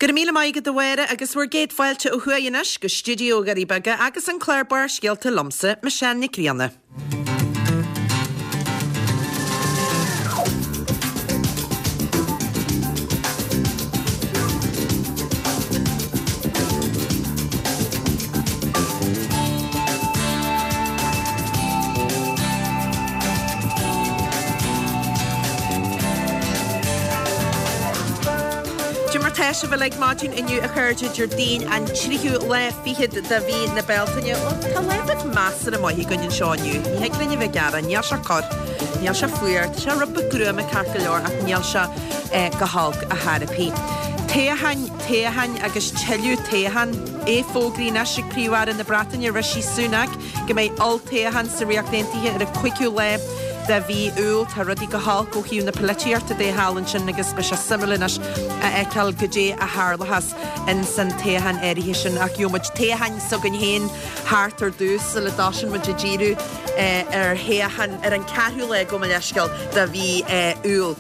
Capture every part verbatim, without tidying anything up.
Go raibh míle maith agat a Mháire agus bhur gcéad fáilte ó thuaidh anois go stiúideo Dhoirí Beaga agus an clár Barrscéalta liomsa, Michelle Nic Grianna. Cad é mar tá sibh uilig maidin inniu a chairde Déardaoin an tríú lá fichead de mhí na Bealtaine. Bhuel, tá lá beag measartha maith againn anseo inniu. Ní thig linn a bheith ag gearán, níl sé corr, níl sé fuar, tá sé rud beag gruama ceart go leor ach níl sé go holc ar chor ar bith. Toghcháin, toghcháin agus tuilleadh toghchán. É fógraithe anois ag Príomh-Aire na Breataine Rishi Sunak go mbeidh olltoghchán sa Ríocht Aontaithe ar an cúigiú lá de mhí Iúil. Tá rudaí go holc ó thaobh na polaitíochta de thall ansin agus beidh sé suimiúil anois a fheiceáil goidé a tharlóchas in san toghchán áirithe sin ach gheobhaidh muid toghchán s'againn féin thart ar dtús sula dtosaíonn muid ag díriú ar thoghchán ar an ceathrú lá gabh mo leithscéal de mhí Iúil.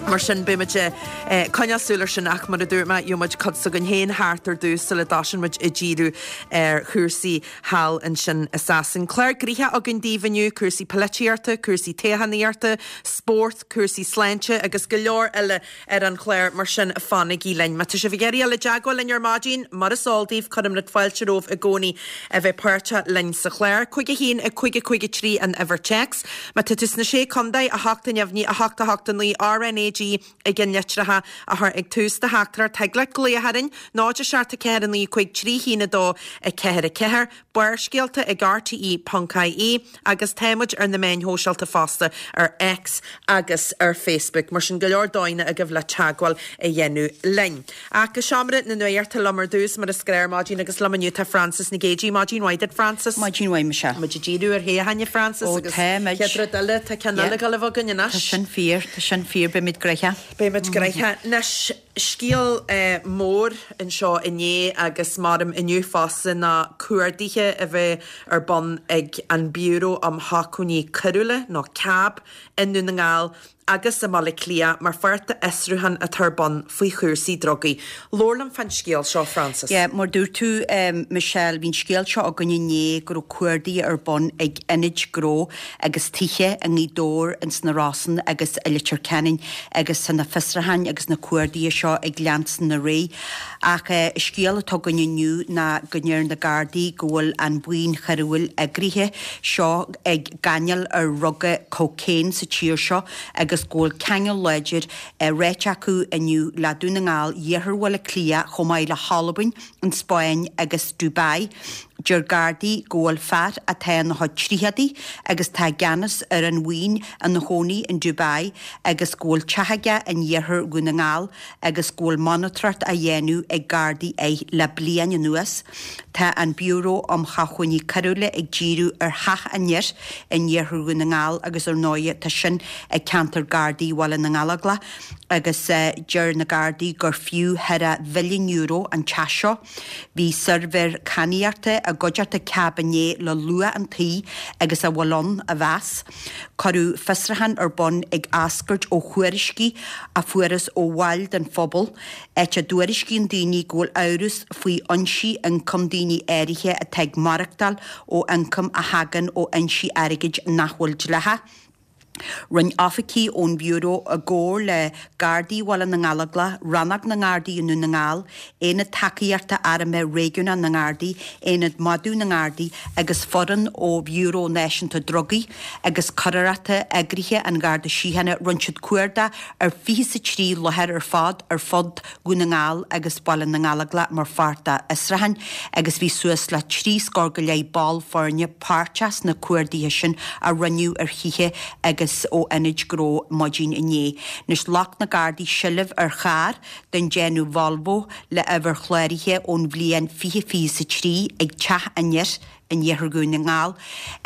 Mar sin beidh muid ag coinneáil súil ar sin ach mar a dúirt mé gheobhaidh muid cuid s'againn féin thart ar dtús sula dtosaíonn muid ag díriú ar chúrsaí thall ansin i Sasain. Clár gnoitheach againn daoibh inniu, cúrsaí polaitíochta, cúrsaí toghchánaíochta, spórt, cúrsaí sláinte agus go leor eile ar an chlár mar sin fanaigí linn. Má tá sibh ag iarraidh dul i dteagmháil linn ar maidin, mar is eol daoibh, cuirimid fáilte romhaibh i gcónaí a bheith páirteach linn sa chlár. Cúig a haon, a cúig a cúig a trí an uimhir téacs. Má tá tú sna Sé Contae, a hocht a neamhní, a hocht a hocht a naoi, RnaG i gceannlitreacha a chur ag tús do theachtaireacht. Thig leat glaoch orainn, náid a seacht a ceathair a naoi cúig trí haon a dó a ceathair a ceathair, Barrscéalta ag RTE ponc IE agus tá muid ar na meáin shóisialta fosta ar X agus ar Facebook. Mar sin go leor dóigheanna agaibh le teagmháil a dhéanamh linn. Ach go seomra na nuachta liom ar dtús mar is gnách ar maidin agus liom inniu tá Frances Nic Géadaigh. Maidin mhaith duit Frances. Maidin mhaith Michelle. Muid ag díriú ar thoghcháin a Frances Ó agus tá muid. chéad rud eile tá ceann eile ag dul a bheith againn anois. Tá sin fíor, tá sin fíor, beimid gnoitheach. Beimid gnoitheach. Anois, scéal mór anseo inné agus maram inniu fosta ná cuarduithe a bheith ar bun ag an Biúró um Shócmhainní Coiriúla, nó CAB, i nDún na nGall agus i mBaile Átha Cliath mar pháirt d'fhiosrúchán atá ar bun faoi chúrsaí drugaí. Labhair liom fán scéal seo, Frances. Yeah, mar dúirt tú, Michelle, bhí an scéal seo againn inné go raibh cuardaithe ar bun ag ionaid gnó agus tithe i nGaoth Dobhair, ins na Rosann agus i Leitir Ceanainn agus tá na fiosrúcháin agus na cuardaithe seo ag leanstan ar aghaidh. Ach an scéal atá againn inniu ná go ndeir na Gardaí go bhfuil an bhuíon choiriúil eagraithe seo ag gáinneáil ar dhruga cocaine sa tír seo agus go bhfuil ceangal láidir ráite acu inniu le Dún na nGall, Iarthar Bhaile Átha Cliath chomh maith le hAlbain, an Spáinn agus Dubai. Deir Gardaí go bhfuil fear atá ina chuid tríochadaí agus atá i gceannas ar an bhuíon ina chónaí in Dubai agus go bhfuil teach aige in iarthar Dhún na nGall agus go bhfuil monatóireacht á dhéanamh ag Gardaí air le bliain anuas. Tá an Biúró um Shócmhainní Coiriúla ag díriú ar theach an fhir in iarthar Dhún na nGall agus ar ndóigh tá sin i gceantar Gardaí Bhaile na nGallóglach agus deir na Gardaí gur fiú thar a mhilliún euro an teach seo. Bhí suirbhéir cadhnaíochta i gcuideachta CAB inné le luach an tí agus a bhfuil ann a mheas. Cuireadh fiosrúchán ar bun ag eascairt ó thuairiscí a fuarthas ó bhaill den phobal, áit a dtuairiscíonn daoine go bhfuil amhras faoi fhoinsí ioncaim daoine áirithe atá ag maireachtáil ó ioncam a thagann ó fhoinsí airgid nach bhfuil dleathach. Rinne oifigigh ón Bhiúró i gcomhar le Gardaí Bhaile na nGallóglach, Rannóg na nGardaí i nDún na nGall, Aonad Tacaíochta Armtha Réigiúnach na nGardaí, Aonad Madadh na nGardaí agus foireann ó Bhiúró Náisiúnta Drugaí agus Coireachta Eagraithe an Gharda Síochána, rinne siad cuardach ar fiche is a trí láthair ar fad ar fud Dhún na nGall agus Baile na nGallóglach mar pháirt dá bhfiosrúchán agus bhí suas le trí scór go leith ball foirne páirteach sna cuarduithe sin a rinneadh ar thithe agus ó ionaid gnó maidin inné. Anois ghlac na Gardaí seilbh ar charr den déanamh Volvo le uimhir chláraithe ón bhliain fiche fiche is a trí ag teach an fhir in iarthar Dhún na nGall.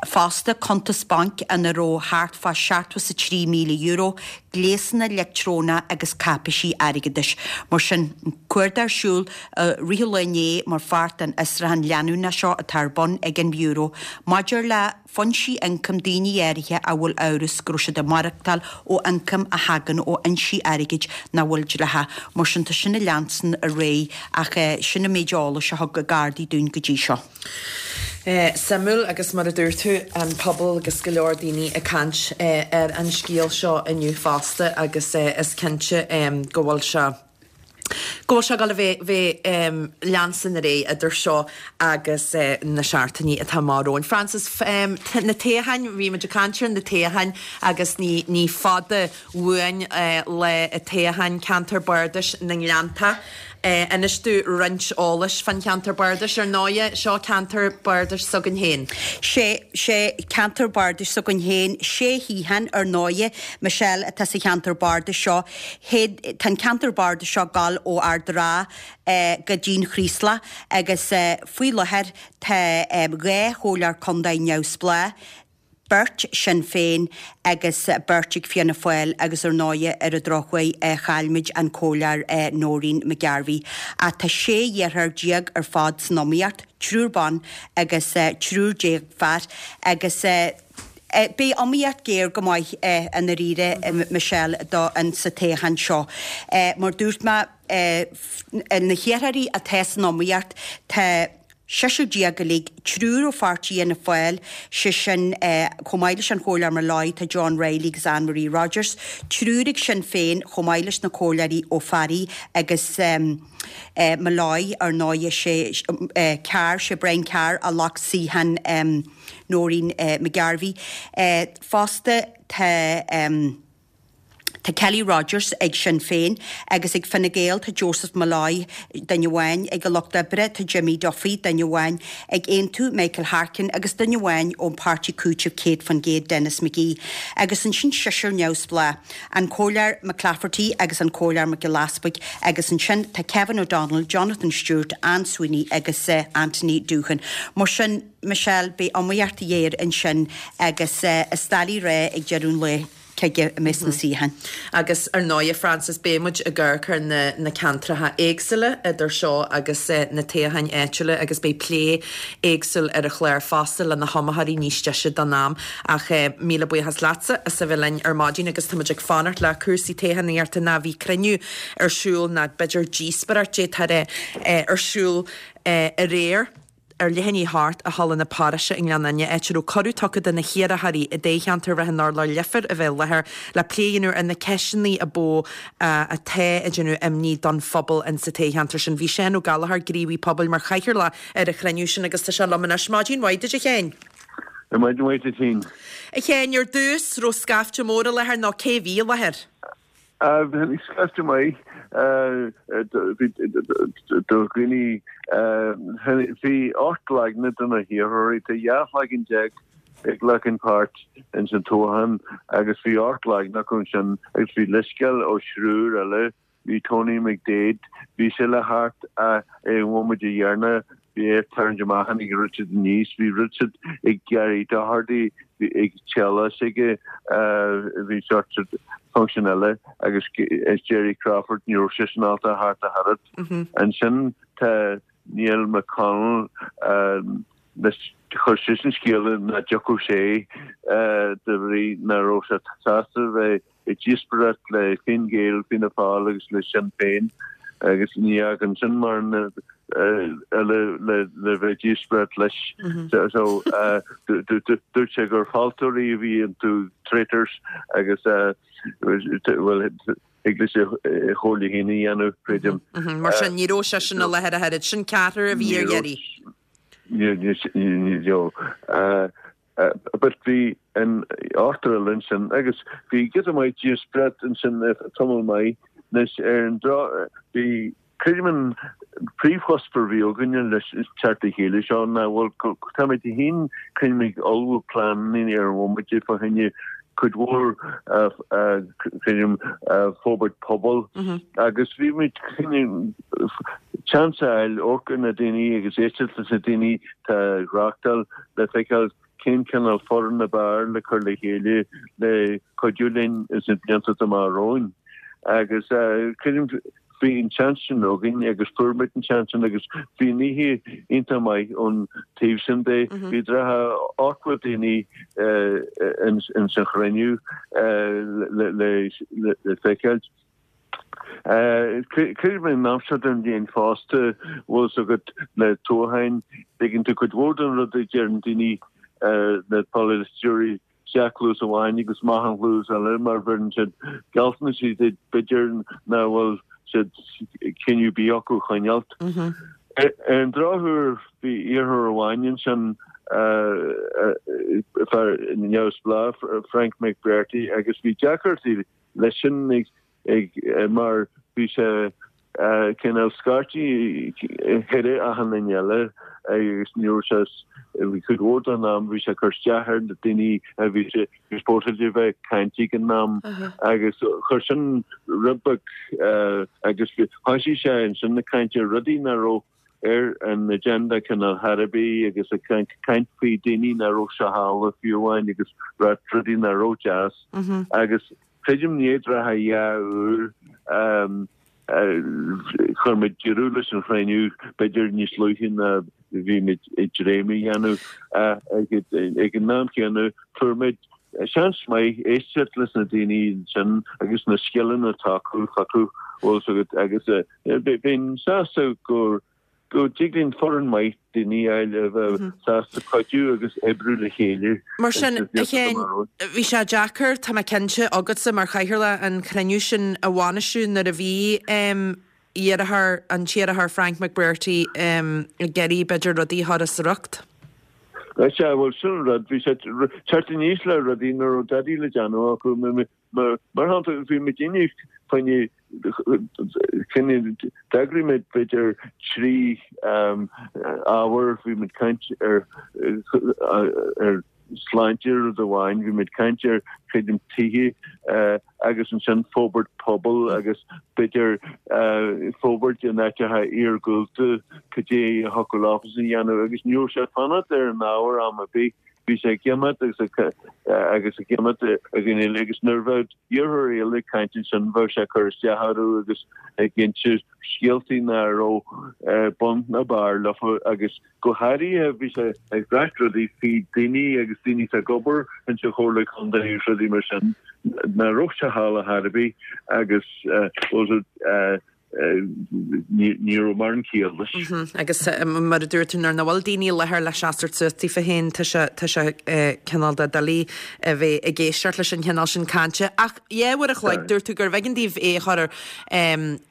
Fosta, cuntas bainc ina raibh thart fá seachtó is a trí míle euro, gléasanna leictreonacha agus cáipéisí airgeadais. Mar sin, cuardach ar siúl i rith an lae inné mar pháirt den fhiosrúchán leanúnach seo atá ar bun ag an Bhiúró maidir le foinsí ioncaim daoine áirithe a bhfuil amhras go raibh siad ag maireachtáil ó ioncam a thagann ó fhoinsí airgid nach bhfuil dleathach. Mar sin, tá sin ag leanstan ar aghaidh ach sin an méid eolais a thug Gardaí dúinn go dtí seo. Suimiúil agus mar a dúirt tú, an pobal agus go leor daoine ag caint ar an scéal seo inniu fosta agus is cinnte go bhfuil sé go bhfuil sé ag dul a bheith bheith leanstan ar aghaidh idir seo agus na seachtainí atá amach romhainn. Frances, na toghcháin, bhí muid ag caint ar na toghcháin agus ní ní fada uainn lá an toghcháin ceantar bardais na nGleannta. Inis domh roinnt eolais fán cheantar bardais. Ar ndóighe, seo ceantar bardais s'againn féin. Sé, sé ceantar bardais s'againn féin. Sé shuíochán, ar ndóighe, Michelle, atá sa cheantar bardais seo. Tá an ceantar bardais seo ag gabháil ó Ard an Rátha go dtí'n Chraoslach agus faoi láthair tá dhá chomhairleoir contae neamhspleách, beirt Sinn Féin agus beirt ag Fianna Fáil agus ar ndóighe ar an drochuair chaill muid an Comhairleoir Noreen McGarvey. Ach tá sé iarrthóir déag ar fad san iomaíocht, triúr ban agus triúr déag fear agus beidh iomaíocht géar go maith i ndáiríre Michelle do an sa toghchán seo. Mar dúirt mé na hiarrthóirí atá san iomaíocht tá Seisear déag uilig, triúr ó pháirtí Fhianna Fáil, sé sin, chomh maith leis an Chomhairleoir Molloy, tá John Reilly agus Anne Marie Rogers, triúr ag Sinn Féin, chomh maith leis na Comhairleoirí Ó Fearraigh agus Molloy, ar ndóighe, sé Carr, sé Brian Carr a ghlac suíochán Noreen McGarvey. Fosta tá. Tá Kelly Rogers ag Sinn Féin agus ag Fine Gael tá Joseph Molloy, duine amháin, ag an Lucht Oibre tá Jimmy Duffy, duine amháin, ag Aontú Michael Harkin agus duine amháin ón Páirtí Cúitimh céad faoin gcéad Denis McGee. Agus ansin seisear neamhspleách, an Comhairleoir McClafferty agus an Comhairleoir Mac Giolla Easpaig agus ansin tá Kevin O'Donnell, Jonathan Stewart, Anne Sweeney agus Anthony Doohan. Mar sin, Michelle, beidh iomaíocht ghéar ansin agus is doiligh a rá ag deireadh an lae. cé aige a mbeas na suíocháin. Agus ar ndóighe, Frances, beidh muid ag amharc ar na na ceantracha éagsúla idir seo agus na toghcháin áitiúla agus beidh plé éagsúil ar an chlár fosta le na hiomaitheoirí níos deise don am. Ach míle buíochas leatsa as a bheith linn ar maidin agus tá muid ag fanacht le cúrsaí toghchánaíochta ná bhí cruinniú ar siúl ná b'fhéidir díospóireacht d'fhéadfá a rá ar siúl aréir. Ar leath i ndiaidh a hocht i Halla na Paróiste i nGleann Fhinne, áit a raibh cuireadh tugtha do na hiarrthóirí i dtoghcheantar Ráth an Urláir Leifear a bheith i láthair le plé a dhéanamh ar na ceisteanna a ba mhó atá ag déanamh imní don phobal in sa toghcheantar sin. Bhí Seán Ó Gallchóir, gníomhaí pobail, mar chathaoirleach ar an chruinniú sin agus tá sé liom anois. Maidin mhaith duit a Sheáin. Maidin mhaith duit féin. A Sheáin, ar dtús, raibh scaifte mór i láthair nó cé bhí i láthair? Bhí scaifte maith do dhaoine. Bhí ocht leagna de na hiarrthóirí, tá dhá shloinne déag ag glacann páirt ins an toghchán agus bhí ocht leagna acu ansin agus bhí leithscéal ó thriúr eile. Bhí Tony McDaid, bhí sé le theacht ach ag an bhomaite dheireanach bhí é ag tarraingt amach tháinig Richard aníos, bhí Richard ag Gary Doherty, bhí ag teaghlach s'aige, bhí sort function eile agus Gerry Crawford, ní raibh seisean ábalta theacht ach oiread. Ansin tá Niall McConnell, chuir seisean scéala nach dtiocfadh sé de bhrí nach raibh sé sásta bheith ag díospóireacht le Fine Gael, Fianna Fáil agus le Sinn Féin agus ní fhágann sin mórán eile le bheith ag díospóireacht leis. So dúirt sé gur fealltóirí a bhí iontu, traitors, agus bhuel thig leis a chomhairle féin a dhéanamh, creidim. Mar sin ní raibh seisean i láthair ach oiread. Sin ceathrar a bhí ar iarraidh. Ní raibh. But bhí an ochtar eile ansin agus bhí giota maith díospóireacht ansin tamall maith anois ar an dro bhí creidim an príomhchuspóir a bhí againne leis an teacht le chéile seo ná bhuel táimid féin creidim ag ullmhú pleananna ar an bhomaite fá choinne cuid mhór creidim forbairt pobail agus bhí muid teacht seans a fháil amharc ar na daoine agus éisteacht leis na daoine tá ag reachtáil le feiceáil cén cineál foireann ab fhearr le cur le chéile le cuidiú linn ins na blianta atá amach romhainn. Agus creidim bhí an seans sin againn agus fuair muid an seans sin agus bhí an oíche iontach maith ón taobh sin de. Bhí dreiche ochtó daoine ins an chruinniú le feiceáil. Creidim an am seo den bhliain fosta, bhfuil fhios agat, le toghcháin, ligeann tú cuid mhór den rud a deireann daoine, na polaiteoirí, isteach cluas amháin agus amach an chluas eile mar bheireann siad gealltanais duit b'fhéidir nach bhfuil siad cinneadh ar bith acu a choinneáilt. Ar an drochuair bhí iarrthóir amháin ansin, fear neamhspleách, Frank McBrearty, agus bhí deacrachtaí leis sin ag mar bhí sé cineál scaití thar achan duine eile agus ní raibh sé bhí cuid mhór den am bhí sé ag cur isteach ar na daoine a bhí sé supposed a bheith ag caint ag an am agus chuir sin rud beag agus thoisigh sé ansin ag caint ar rudaí nach raibh ar an agenda cineál chor ar bith agus ag caint faoi daoine nach raibh sé thall fiú amháin agus rudaí nach raibh deas agus Creidim i ndiaidh dreiche dhá uair chuir muid deireadh leis an chruinniú, b'fhéidir níos luaithe ná bhí muid ag dréim a dhéanamh. Ag an am céanna fuair muid seans maith éisteacht leis na daoine ansin agus na scileanna atá acu, bhfuil fhios agat, agus bheinn sásta gur go dtig linn foireann maith daoine a fháil a bheadh sásta cuidiú agus oibriú le chéile. Mar sin, a Sheáin, bhí sé deacair, tá mé cinnte, agatsa mar chathaoirleach an cruinniú sin a bhainistiú nuair a bhí iarrthóir, an t-iarrthóir Frank McBrearty ag iarraidh b'fhéidir rudaí a chur as a riocht. Sea, bhuel, sin an rud, bhí sé teacht aníos le rudaí nach raibh dadaí le déanamh acu. Mar shampla, bhí muid inniu fá choinne cinneadh, d'eagraigh muid b'fhéidir trí ábhar, bhí muid caint ar ar sláinte rud amháin, bhí muid caint ar creidim tithe agus ansin forbairt pobail agus b'fhéidir forbairt in áiteacha iargúlta, cad é a thiocfadh leofa a dhéanamh agus ní raibh sé ag fanacht ar an ábhar am ar bith. Bhí sé ag imeacht agus agus ag imeacht againn uile agus nuair a bheadh iarrthóirí eile ag caint ansin bheadh sé ag cur isteach orthu agus ag inse scéaltaí nach raibh bun ná barr leofa agus go háirithe bhí sé ag ráit rudaí faoi daoine agus daoine atá ag obair insa Chomhairle Contae agus rudaí mar sin nach raibh sé thall ar chor ar bith agus ní raibh mórán ciall leis. Agus mar a dúirt tú, nuair nach bhfuil daoine i láthair le seasamh suas daofa féin, tá sé, tá sé cineál de doiligh a bheith ag éisteacht leis an chineál sin cainte. Ach dhá uair a chloig, dúirt tú gurbh éigean daoibh é a chur ar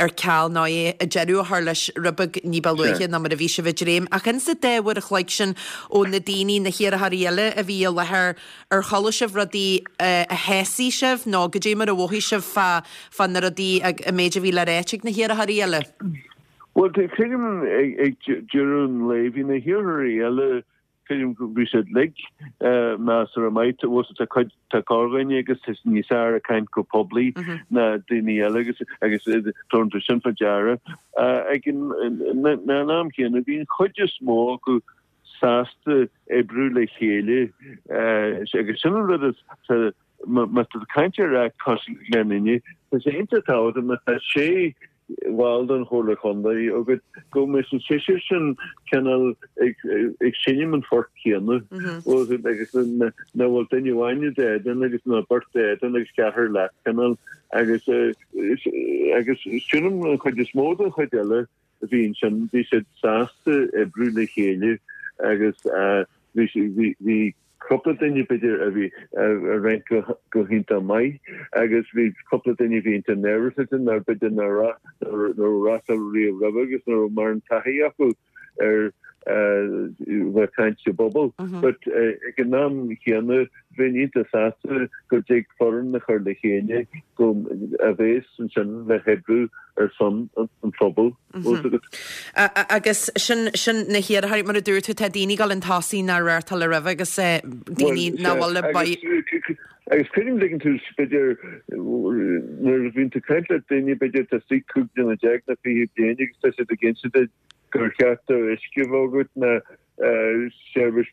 ar ceal nó é deireadh a chur leis rud beag ní ba luaithe ná mar a bhí sibh ag dréim. Ach insa dá uair a chloig sin ó na daoine, na hiarrthóirí eile a bhí i láthair, ar chuala sibh rudaí a shásaigh sibh nó goidé mar a mhothaigh sibh fá fá na rudaí, an méid a bhí le ráit ag na hiarrthóirí eile? Bhuel, creidim ag deireadh an lae, bhí na hiarrthóirí eile, creidim go bhí siad uilig measartha maith, bhfuil tá cuid, tá corrdhuine agus tá siad níos fearr ag caint go poiblí ná daoine eile agus agus tabharann tú sin fá deara. Ag an am chéanna, bhí an chuid is mó acu sásta oibriú le chéile agus sin an rud is má tá tú ag caint ar Acht cosúil linn inniu, tá sé iontach tábhachtach má tá sé bhall den Chomhairle Chontae agat go mbeidh an seisear sin cineál ag seinm an phoirt chéanna agus nach bhfuil duine amháin i d'éadan agus nó beirt d'éadan agus ceathrar leat cineál agus agus sílim an chuid is mó den chuid eile a bhí ansin bhí siad sásta oibriú le chéile agus bhí bhí cúpla duine b'fhéidir a bhí a rinne go hiontach maith agus bhí cúpla duine a bhí iontach neirbhíseach nár b'fhéidir nár raibh reachtáil riamh roimhe agus nach raibh mórán taithí acu ar bheith ag caint sa bpobal. But ag an am chéanna bheinn iontach sásta go dtig foireann a chur le chéile go a bheas ansin le hoibriú ar son an phobail. Agus sin, sin na hiarrthóirí, mar a dúirt tú, tá daoine ag dul chun tosaigh nár reáchtáil roimhe agus daoine nach bhfuil le. Agus creidim dtuigeann tú b'fhéidir nuair a bhíonn tú ag caint le daoine b'fhéidir atá istigh cúig bliana déag nó fiche bliain agus tá siad ag inse duit gur cheart do uisce a bheith agat nó seirbhís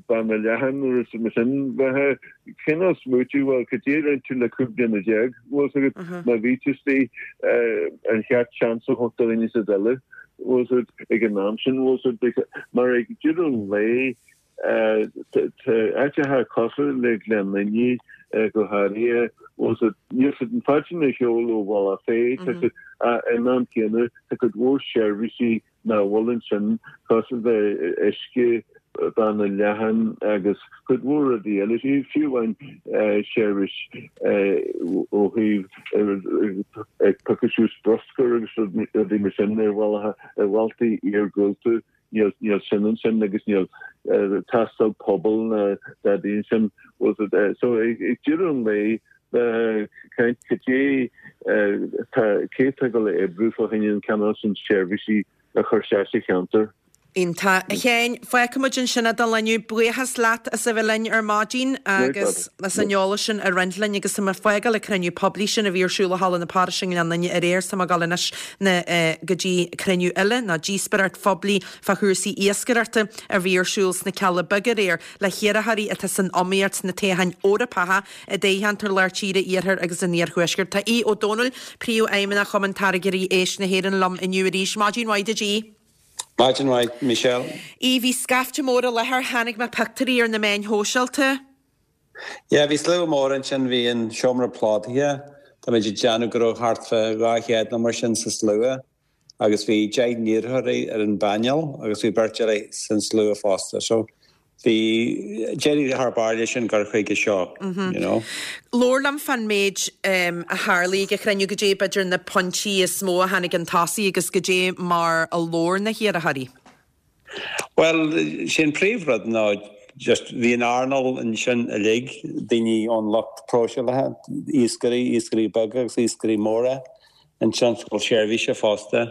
banda leathan nó rud mar sin bheith cineál smaoitiú bhuel cad é a rinne tú le cúig bliana déag bhfuil fhios agat má bhí tú istigh ar cheart seans a thabhairt do dhaoine sa eile bhfuil fhios agat ag an am sin bhfuil fhios agat mar ag deireadh an lae Tá áiteacha cosúil le Gleann Fhinne go háirithe, bhfuil fhios agat, níl siad an fad sin ar shiúl ó Bhealach Féich, tá siad in am céanna, tá cuid mhór seirbhísí nach bhfuil ansin cosúil le uisce, banda leathan agus cuid mhór rudaí eile, fiú amháin seirbhís ó thaobh ag piocadh suas bruscar agus rudaí mar sin ar bhealacha, ar bhailte iargúlta. Níl sin ansin agus níl tástáil pobail ná dadaí ansin. So ag deireadh an lae, caint cad é tá cé atá ag dul a oibriú fá choinne an cineál sin seirbhísí a chur isteach sa cheantar. Iontach. A Sheáin, fágfaidh muid ansin é don lá inniu. Buíochas leat as a bheith linn ar maidin agus as an eolas sin a roinnt linn agus tá mé ag fágáil an cruinniú poiblí sin a bhí ar siúl i Halla na Párise i nGleann Fhinne aréir is tá mé ag dul anois na go dtí cruinniú eile nó díospóireacht phoiblí fá chúrsaí iascaireachta a bhí ar siúl sna Cealla Beaga aréir le hiarrthóirí atá san iomaíocht sna toghcháin Eorpacha i dtoghcheantar Lár Tíre, Iarthar agus an Iarthuaiscirt. Tá Aodh Ó Domhnaill, Príomhfheidhmeannach Chumann Táirgeoirí Éisc na hÉireann liom inniu arís. Maidin mhaith duit Aodh. Maidin mhaith, Michelle. Aodh, bhí scaifte mór i láthair, chonaic mé pictiúirí ar na meáin shóisialta. Yeah, bhí slua mór ansin, bhí an seomra plódaithe, táimid ag déanamh go raibh thart fá dhá chéad nó mar sin sa slua agus bhí deich n-iarrthóirí ar an bpainéal agus bhí beirt eile san slua fosta. So bhí, d'éirigh thar barr leis an gcur chuige seo, you know. Labhair liom fán méid a tharlaigh ag an chruinniú, goidé b'fhéidir na pointí is mó a tháinig chun tosaigh agus goidé mar a labhair na hiarrthóirí. Bhuel, sé an príomhrud ná just bhí an earnáil ansin uilig, daoine ón lucht próiseálaithe, iascairí, iascairí beaga agus iascairí móra, an tionscal seirbhíse fosta.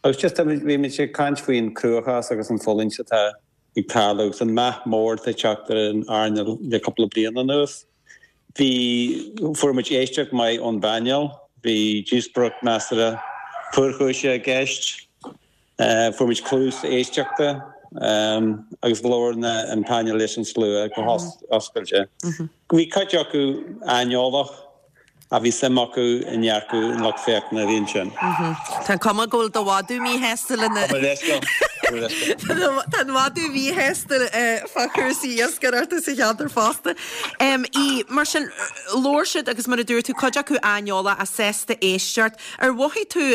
Agus just bhí muid ag caint faoin cruachás agus an fulaingt atá ag tarlú agus an meath mór atá ag teacht ar an earnáil le cúpla bliain anuas. Bhí, fuair muid éisteacht maith ón bpainéal, bhí díospóireacht measartha fuarchúiseach i gceist. Fuair muid cluas éisteachta agus labhair an painéal leis an slua go hoscailte. Bhí cuid acu aineolach ach bhí suim acu i ndearcadh an lucht féachana a bhí ansin. Tá an cuma go bhfuil do mhadadh míshásta lena. Tá mo leithscéal. Tá an madadh míshásta fá chúrsaí iascaireachta sa cheantar fosta. Í, mar sin, labhair siad agus mar a dúirt tú, cuid acu aineolach ach sásta éisteacht. Ar mhothaigh tú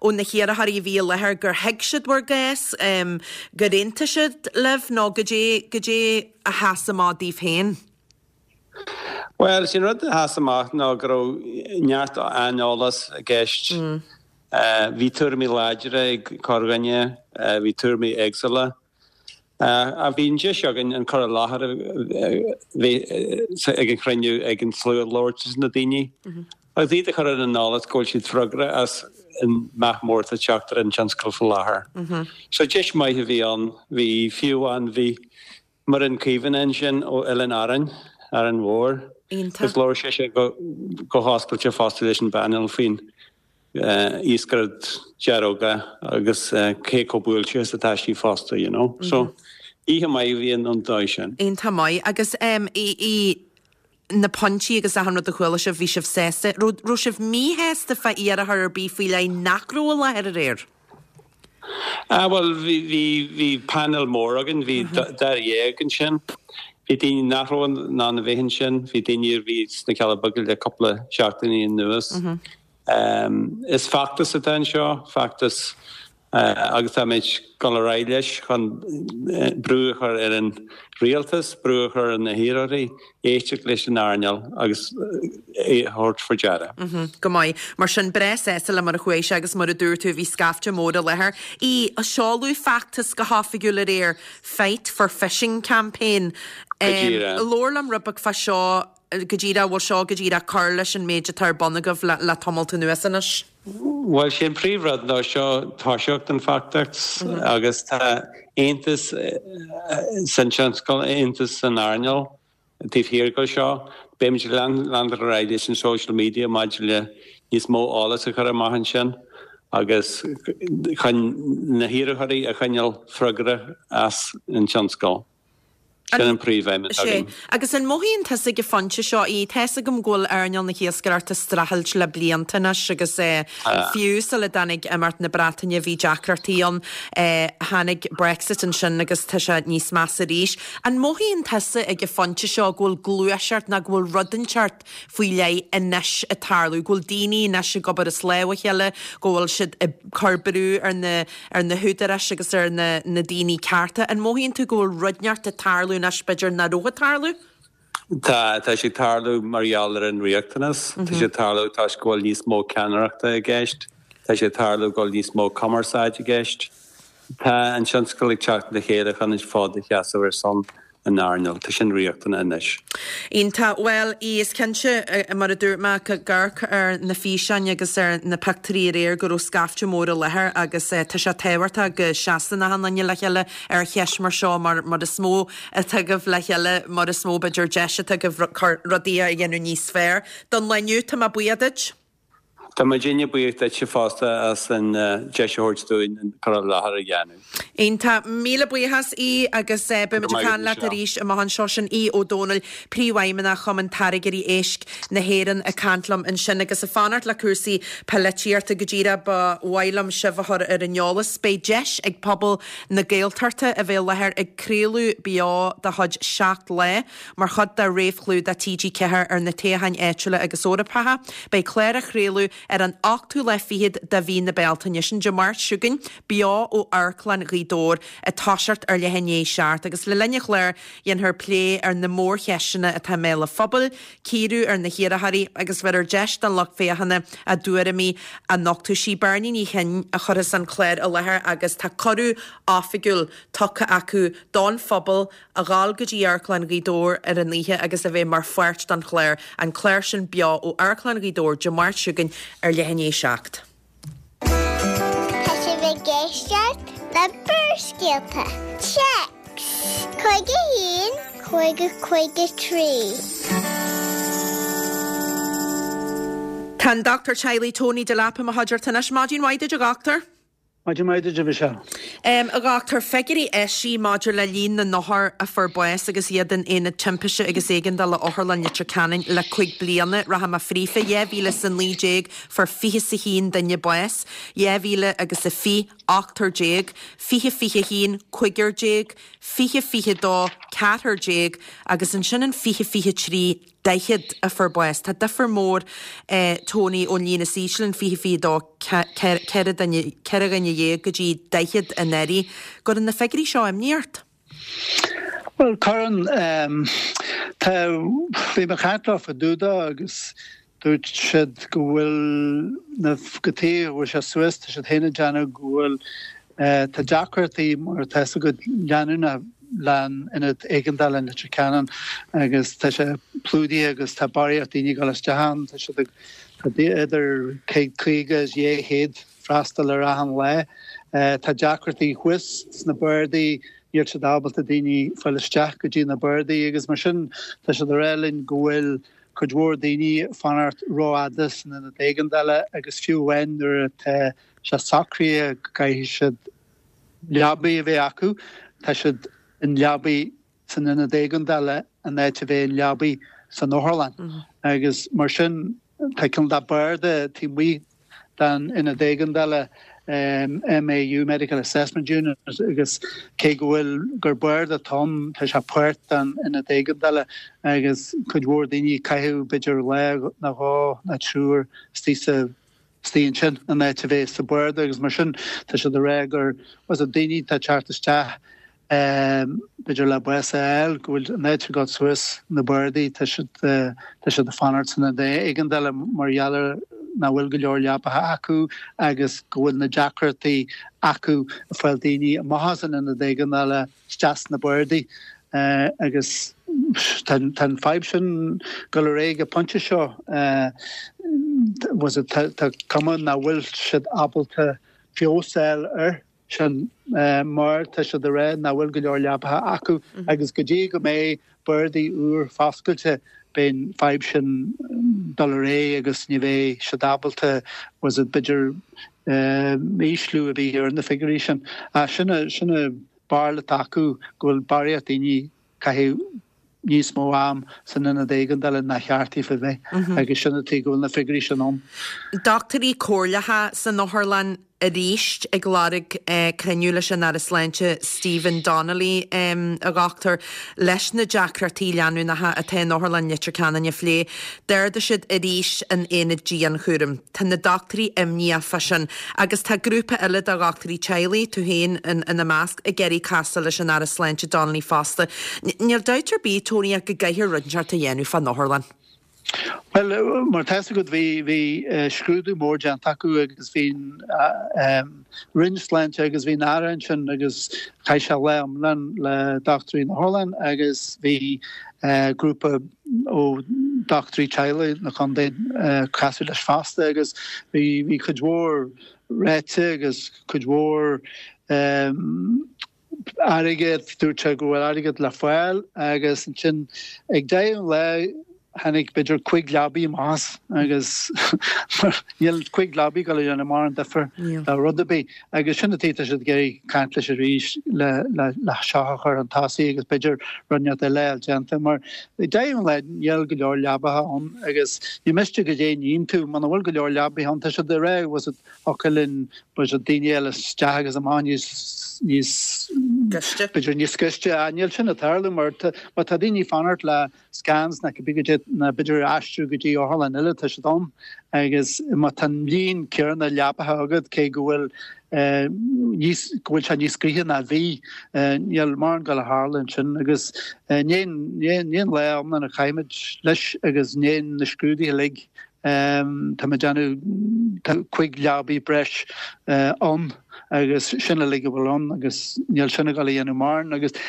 ó na hiarrthóirí a bhí i láthair gur thuig siad bhur gcás, gur aontaigh siad libh nó goidé, goidé a sheas amach daoibh féin? Bhuel, is é an rud a sheas amach ná go raibh neart aineolas i gceist. Bhí tuairimí láidre ag corrdhuine, bhí tuairimí éagsúla. Ach bhí an deis againn an cur i láthair a bhí ag an chruinniú ag an slua labhairt leis na daoine agus iad a chur ar an eolas go bhfuil siad freagrach as an meath mór atá ag teacht ar an tionscal faoi láthair. So deis maith a bhí ann. Bhí, fiú amháin, bhí Muireann Caomhánach ansin ó Oileáin Árainn, Árainn Mhór, agus labhair sise go hoscailte fosta leis an bpainéal faoin iascaireacht gearróga agus cé chomh buailte is atá sí fosta, you know. So, oíche maith a bhí ann an dóigh sin. Iontach maith. Agus í na pointí agus achan rud a chuala sibh, bhí sibh sásta. Raibh raibh sibh míshásta fá iarrthóir ar bith faoi leith nach raibh i láthair aréir? Ah bhuel bhí bhí bhí painéal mór againn, bhí dáréag ansin. Bhí daoine nach raibh in ann a bheith ansin, bhí daoine a bhí sna Cealla Beaga le cúpla seachtainí anuas. Is feachtas atá anseo, feachtas agus táimid ag dul ar aghaidh leis chun brú a chur ar an rialtas, brú a chur ar na hiarrthóirí éisteacht leis an earnáil agus é a thabhairt faoi deara. Go maith. Mar sin, breá sásta le mar a chuaigh sé agus mar a dúirt tú, bhí scaifte mór i láthair. Í, seoladh feachtas go hoifigiúil aréir, Fight for Fishing Campaign. Go díreach. Labhair liom rud beag fá seo. Go díreach, bhfuil seo go díreach cur leis an méid atá ar bun agaibh le tamalt anuas anois? Bhuel, sé an príomhrud ná seo toiseacht an feachtais agus tá aontas san tionscal, aontas san earnáil taobh thiar de seo. Beimid ag leanúint ar aghaidh leis an social media maidir le níos mó eolas a chur amach ansin agus chun na hiarrthóirí a choinneáil freagrach as an tionscal. Sin an príomhaidhm atá againn. Agus an mothaíonn tusa ag an phointe seo í? Tá 'fhios agam go bhfuil earnáil na hiascaireachta ag streachailt le blianta anois agus fiú sula dtáinig imeacht na Breataine bhí deacrachtaí ann. Tháinig Brexit ansin agus tá sé níos measa arís. An mothaíonn tusa ag an phointe seo go bhfuil gluaiseacht nó go bhfuil rud inteacht faoi leith anois ag tarlú, go bhfuil daoine anois ag obair as lámh a chéile, go bhfuil siad ag cur brú ar na ar na húdaráis agus ar na na daoine cearta. An mothaíonn tú go bhfuil rud inteacht ag tarlú anois b'fhéidir nach raibh ag tarlú? Tá, tá sé ag tarlú mar gheall ar an riachtanas. Tá sé ag tarlú toisc go bhfuil níos mó ceannaireachta i gceist. Tá sé ag tarlú go bhfuil níos mó cumarsáid i gceist. Tá an tionscal ag teacht le chéile chun an fód a sheasamh ar son an earnáil. Tá sin riachtanach anois. Iontach. Bhuel, is cinnte, mar a dúirt mé, ag amharc ar na físeáin agus ar na pictiúirí aréir go raibh scaifte mór i láthair agus tá sé tábhachtach go seasann achan duine le chéile ar cheist mar seo mar mar is mó atá agaibh le chéile mar is mó b'fhéidir deis atá agaibh rudaí a dhéanamh níos fearr. Don lá inniu, tá mé buíoch duit. Tá muidinne buíoch duitse fosta as an deis a thabhairt dúinn an cur i láthair a dhéanamh. Iontach. Míle buíochas Aodh agus beimid ag caint leat arís amach anseo. Sin Aodh Ó Dónaill, Príomhfheidhmeannach Chumann Táirgeoirí Éisc na hÉireann ag caint liom ansin. Agus ag fanacht le cúrsaí polaitíochta go díreach ba mhaith liom sibh a chur ar an eolas. Beidh deis ag pobal na Gaeltachta a bheith i láthair ag craoladh beo de chuid Seacht Lá mar chuid de réamhchlúdach T G ceathair ar na toghcháin áitiúla agus Eorpacha. Beidh clár á chraoladh ar an ochtú lá fichead de mhí na Bealtaine, sin Dé Máirt seo chugainn, beo ó Amharclann Ghaoth Dobhair ag toiseacht ar leath i ndiaidh a seacht agus le linn an chláir dhéanfar plé ar na mórcheisteanna atá i mbéal an phobail, cíoradh ar na hiarrthóirí agus bheirfear deis don lucht féachana a dtuairimí a nochtadh. Sí Beirní Ní Chinn a chuirfeas an clár i láthair agus tá cuireadh oifigiúil tugtha acu don phobal a dhul go dtí Amharclann Ghaoth Dobhair ar an oíche agus a bheith mar pháirt den chlár, an clár sin beo ó Amharclann Ghaoth Dobhair Dé Máirt seo chugainn ar leath i ndiaidh a seacht. Tá sibh ag éisteacht le Barrscéalta. Téacs cúig a haon, cúig a cúig a trí. Tá an Dochtúir Teaghlaigh Tony Delap i mo chuideachta anois. Maidin mhaith duit a dhochtúir. Maidin mhaith duit a Mhichelle. A dhochtúir, figiúirí eisithe maidir le líon na n-othar a fuair bás agus iad in Aonad Timpiste agus Éigeandála Otharlann Leitir Ceanainn le cúig bliana. Rachaidh mé fríofa, dhá mhíle is a naoi déag fuair fiche is a haon duine bás, dhá mhíle agus a fiche, ochtar déag, fiche fiche a haon, cúigear déag, fiche fiche dó, ceathrar déag agus ansin in fiche fiche trí, daichead a fuair bás. Tá difear mór, Tony, ón líon is ísle in fiche fiche dó, ceithre dhuine, ceithre dhuine dhéag go dtí daichead anuraidh. Gcuireann na figiúirí seo imní ort? Bhuel, cuireann. Tá, bhí mé ag caint leo fá dtaobh de agus dúirt siad go bhfuil na, go tuige go bhfuil sé suas, tá siad féin ag déanamh go bhfuil, tá deacrachtaí mar atá fhios agat leanúnach le an Ionad Éigeandála in Leitir Ceanainn agus tá sé plódaithe agus tá barraíocht daoine ag dul isteach ann. Tá siad ag, tá idir céad caoga is dhá chéad freastal ar achan lá. Tá deacrachtaí thuas sna bardaí, níl siad ábalta daoine fáil isteach go dtí na bardaí agus mar sin tá siad ag rá linn go bhfuil cuid mhór daoine ag fanacht rófhada san Ionad Éigeandála agus fiú amháin nuair atá sé socraithe go gcaithfidh siad leabaí a bheith acu, tá siad in leabaí san ionad éigeandála in áit a bheith in leabaí san otharlann. Agus mar sin tá cineál de barda taobh amuigh den ionad éigeandála, M A U, Medical Assessment Unit, agus cé go bhfuil gur barda atá ann, tá sé páirt den ionad éigeandála agus cuid mhór daoine ag caitheamh b'fhéidir lá nó dhó nó triúr istigh sa istigh ansin in áit a bheith sa bharda agus mar sin tá siad ag rá gur was it daoine atá ag teacht isteach b'fhéidir le bás a fháil go bhfuil in áit a ghabháil suas na bardaí tá siad tá siad ag fanacht san ionad éigeandála mar gheall ar nach bhfuil go leor leapacha acu agus go bhfuil na deacrachtaí acu ag fáil daoine amach as an ionad éigeandála isteach sna bardaí agus tá an fadhb sin ag dul ar aghaidh ag an bpointe seo. Was it tá cuma nach bhfuil siad ábalta feabhas a fháil air sin mar tá siad ag rá nach bhfuil go leor leapacha acu agus go dtí go mbeidh bardaí úr foscailte beidh an fadhb sin dul ar aghaidh agus ní bheidh siad ábalta was it b'fhéidir ísliú a bhí ar na figiúirí sin. Sin sin an bharúil atá acu go bhfuil barraíocht daoine ag caitheamh níos mó am san ionad éigeandála ná cheart daofa bheith agus sin an tuige go bhfuil na figiúirí sin ann. Dochtúirí comhairleacha san otharlann arís ag lorg cruinniú leis an Aire Sláinte Stephen Donnelly, a dhochtúir, leis na deacrachtaí leanúnacha atá in Otharlann Leitir Ceanainn a phlé. D'ardaigh siad arís an aonad dianchúraim. Tá na dochtúirí imníoch fá sin agus tá grúpa eile de dhochtúirí teaghlaigh, tú féin ina measc, ag iarraidh casadh leis an Aire Sláinte Donnelly fosta. Níl dabht ar bith, Tony, ach go gcaithfear rud inteacht a dhéanamh fán otharlann. Bhuel, mar tá fhios agat bhí bhí scrúdú mór déanta acu agus bhí an Roinn Sláinte agus bhí an Aire ansin agus chaith sé lá iomlán le dochtúirí na hotharlainne agus bhí grúpa ó dochtúirí teaghlaigh na contae casadh leis fosta agus bhí bhí cuid mhór ráite agus cuid mhór airgead, dúirt sé go bhfuil airgead le fáil agus ansin ag deireadh an lae tháinig b'fhéidir cúig leabaí amach as agus níl cúig leabaí ag dul a dhéanamh mórán difear do rud ar bith agus sin an tuige tá siad ag iarraidh caint leis arís le le le seo a chur chun tosaigh agus b'fhéidir rud inteacht eile a déanta mar ag deireadh an lae níl go leor leabaithe ann agus ní miste go dté níonn tú muna bhfuil go leor leabaithe ann tá siad ag rá was it thiocfadh linn was it daoine eile isteach agus amach níos níos Gaiste. b'fhéidir níos gaiste níl sin ag tarlú mar má tá daoine ag fanacht le scans na na b'fhéidir aistriú go dtí otharlann eile tá siad ann agus má tá an líon céanna leapacha agat cé go bhfuil níos go bhfuil sé níos gaoithe ná bhí níl mórán ag dul a tharlú ansin agus ní an lá iomlán a chaithimid leis agus ní na scrúduithe uilig tá muid déanamh tá cúig leabaí breis ann agus sin uilig a bhfuil ann agus níl sin ag dul a dhéanamh mórán agus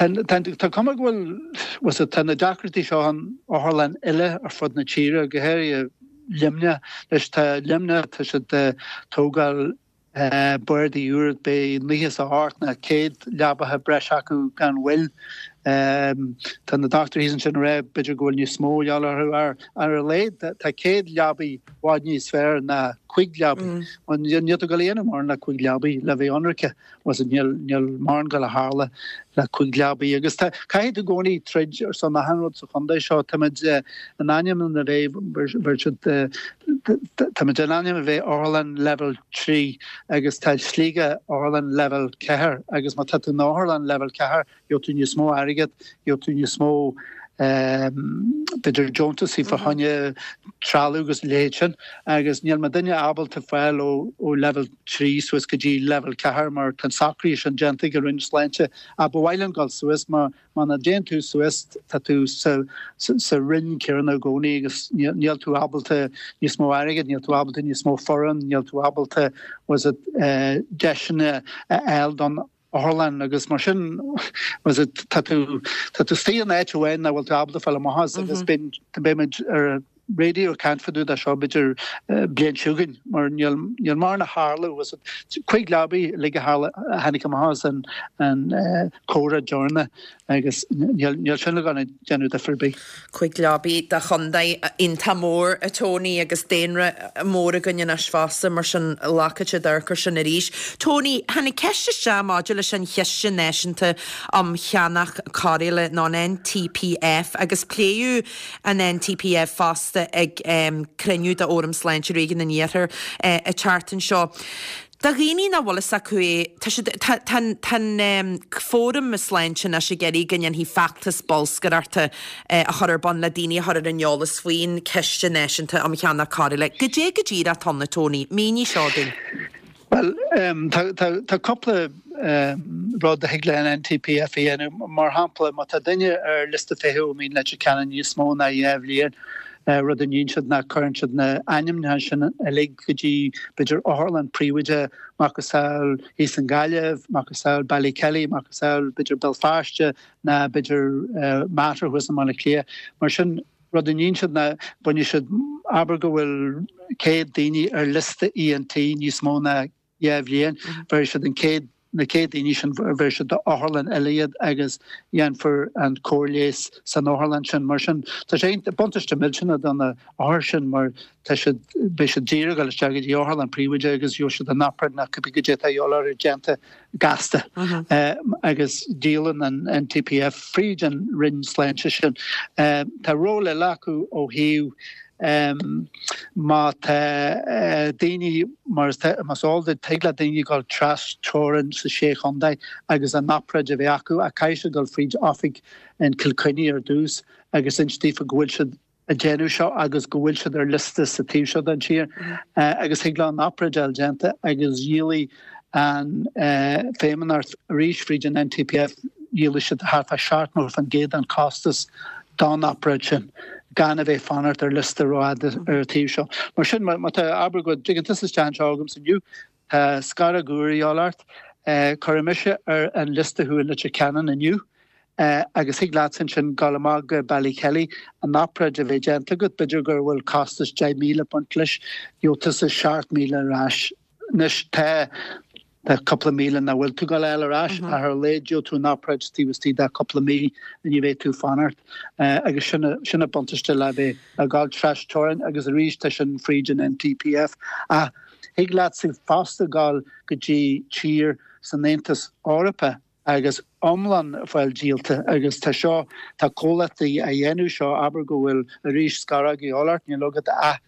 tá cuma go bhfuil tá na deacrachtaí seo an otharlann eile ar fud na tíre go háirithe Luimneach leis tá Luimneach tá siad tógáil bardaí úr beidh naocha is a hocht nó céad leabaithe breis acu gan mhoill. Tá na dochtúirí thíos ansin ag rá b'fhéidir go bhfuil níos mó de dhíobháil orthu ar ar a laghad tá céad leabaí i bhfad níos fearr ná cúig leabaí. Níl tú ag dul a dhéanamh mórán le cúig leabaí le bheith ionraice was níl níl mórán ag dul a tharlú le cúig leabaí agus tá caithfidh tú i gcónaí troid ar son achan rud sa chontae seo táimid in ainm a bheith táimid in ainm a bheith otharlann level trí agus tá Sligeach otharlann level ceathair agus má tá tú in otharlann level ceathair gheobhaidh tú níos mó airgead gheobhaidh tú níos mó b'fhéidir deontasaí fá choinne trealamh agus a leithéid sin agus níl muidinne ábalta fáil ó ó level trí suas go dtí level ceathair mar tá an socrú sin déanta ag an Roinn Sláinte ach ba mhaith linn dul suas mar muna dtéann tú suas tá tú sa sa roinn céanna i gcónaí agus níl tú ábalta níos mó airgead, níl tú ábalta níos mó foireann, níl tú ábalta was it deiseanna a fháil don otharlann agus mar sin was it tá tú tá tú istigh in áit amháin nach bhfuil tú ábalta fáil amach as agus beidh beimid ar raidió ag caint fá dtaobh de seo b'fhéidir bliain seo chugainn mar níl níl mórán ag tarlú was it cúig leabaí uilig a tharla a tháinig amach as an an comhrá deireanach agus níl níl sin ag dul a déanamh difear ar bith. Cúig leabaí do chontae iontach mór a Tony agus daonra mór againn anois fosta mar sin glacfaidh siad amharc air sin arís. Tony, tháinig ceist isteach maidir leis an Chiste Náisiúnta um Cheannach Cóireála nó an NTPF agus pléadh an NTPF fosta ag um, cruinniú de Fhóram Sláinte Réigiún an Iarthair uh, an tseachtain seo. Do dhaoine nach bhfuil fhios acu é, tá siad tá tá tá an fóram sláinte anois ag iarraidh go ndéanfaí feachtas bolscaireachta a chur ar bun le daoine a chur ar an eolas faoin Chiste Náisiúnta um Cheannach Cóireála. Goidé go díreach atá ann a Tony, mínigh seo dúinn. Well um, tá, tá, tá cúpla um, rud a thig le an NTPF a dhéanamh mar shampla má tá duine ar liosta feithimh i Mín Leitir Ceanainn níos mó ná dhá bhliain rud a ndéanann siad ná cuireann siad na ainmneacha sin uilig go dtí b'fhéidir otharlann príobháideach macasamhail thíos i nGaillimh, macasamhail Ballykelly, macasamhail b'fhéidir Béal Feirste ná b'fhéidir Mater thuas i mBaile Átha Cliath. Mar sin rud a ndéanann siad ná bainfidh siad abair go bhfuil céad daoine ar liosta ENT níos mó ná dhá bhliain, bhéarfaidh siad an chéad na chéad daoine sin bhéarfaidh siad d'otharlann eile iad agus dhéanfar an cóir leighis san otharlann sin. Mar sin, tá sé buntáiste millteanach do na hothair sin mar tá siad, beidh siad díreach ag dul isteach go dtí otharlann príobháideach agus gheobhaidh siad an obráid nó cibé goidé atá a dhíobháil orthu déanta gasta. Agus díolann an NTPF fríd an Roinn Sláinte sin. Tá ról eile acu ó thaobh Má tá daoine, mar más eol duit, tig le daoine dul tras teorainn sa Sé Chontae agus an obráid a bheith acu ach caithfidh siad dul fríd oifig in Cill Chainnigh ar dtús agus inse daofa go bhfuil siad ag déanamh seo agus go bhfuil siad ar liosta sa taobh seo den tír agus thig leo an obráid a fháil déanta agus dhíolfaidh an Feidhmeannacht arís fríd an NTPF, dhíolfaidh siad thart fá seachtó faoin gcéad den chostas don obráid sin gan a bheith fanacht ar liosta rófhada ar an taobh seo. Mar sin, má tá, abair go dtigeann tusa isteach anseo agamsa inniu, tá scaróg úr a dhíobháil ort, cuirfidh mise ar an liosta thú i Leitir Ceanainn inniu agus thig leatsa ansin dul amach go Ballykelly, an obráid a bheith déanta agat, b'fhéidir go bhfuil costas deich míle ag baint leis, gheobhaidh tusa seacht míle ar ais. Anois tá tá cúpla míle nach bhfuil tú ag dul a fháil ar ais ach ar a laghad gheobhaidh tú an obráid taobh istigh de cúpla mí ní bheidh tú ag fanacht agus sin sin an buntáiste le bheith ag dul tras teorainn agus arís tá sin fríd an NTPF ach thig leatsa fosta dul go dtí tír san Aontas Eorpach agus iomlán fáil díolta agus tá seo tá comhlachtaí a dhéanamh seo abair go bhfuil arís scaróg a dhíobháil ort níl agat ach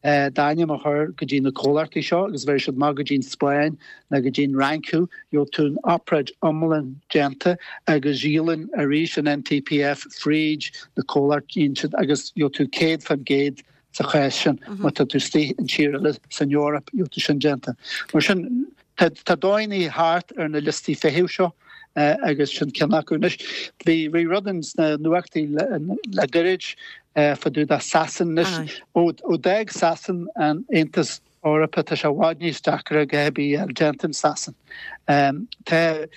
d'ainm a chur go dtí na comhlachtaí seo agus bhéarfaidh siad amach go dtí an Spáinn nó go dtí an Fhrainc thú, gheobhaidh tú an obráid iomlán déanta agus díolann arís an NTPF fríd na comhlachtaí siad agus gheobhaidh tú céad faoin gcéad sa chás sin má tá tú istigh in tír eile san Eoraip gheobhaidh tú sin déanta. Mar sin tá tá dóigheanna thart ar na liostaí feithimh seo agus sin ceann acu. Anois bhí bhí rud in sna nuachtaí le le gairid fá dtaobh de Sasain anois. Ó d'fhág Sasain an Aontas Eorpach tá sé i bhfad níos deacra a dhath ar bith a fháil déanta in Sasain. Tá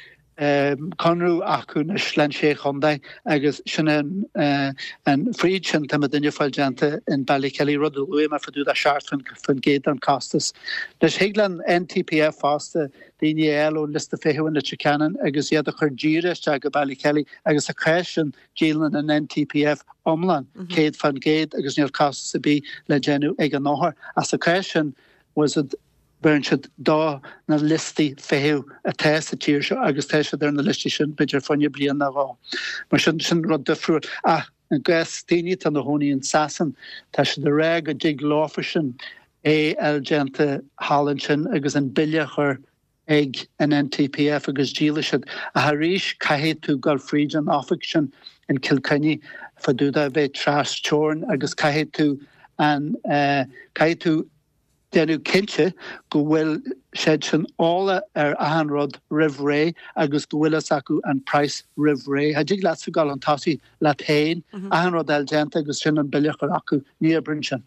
conradh acu anois leis an Sé Chontae agus sin an an fríd sin tá muidinne ag fáil déanta in Ballykelly, rud a luaigh mé fá dtaobh de seacht faoin gcéad den costas. Anois thig le an NTPF fosta daoine a fháil ón liosta feithimh in Leitir Ceanainn agus iad a chur díreach isteach go Ballykelly agus sa chás sin díolann an NTPF iomlán, céad faoin gcéad, agus níl costas ar bith le déanamh ag an othar. Ach sa chás sin, was it, bheireann siad do na liostaí feithimh atá sa tír seo agus tá siad ar na liostaí sin b'fhéidir fá choinne bliain nó dhó. Mar sin, sin rud difriúil. Ach i gcás daoine atá ina chónaí in Sasain, tá siad ag rá go dtig leofasan é a fháil déanta thall ansin agus an bille a chur ag an NTPF agus díolfaidh siad. Ach arís caithfidh tú dul fríd an oifig sin in Cill Chainnigh fá dtaobh de bheith tras teorainn agus caithfidh tú an caithfidh tú déanamh cinnte go bhfuil siad sin eolach ar achan rud roimh ré agus go bhfuil fhios acu an praghas roimh ré. Cha dtig leatsa dul chun tosaigh leat féin, achan rud a fháil déanta agus sin an bille a chur acu. Ní oibríonn sin.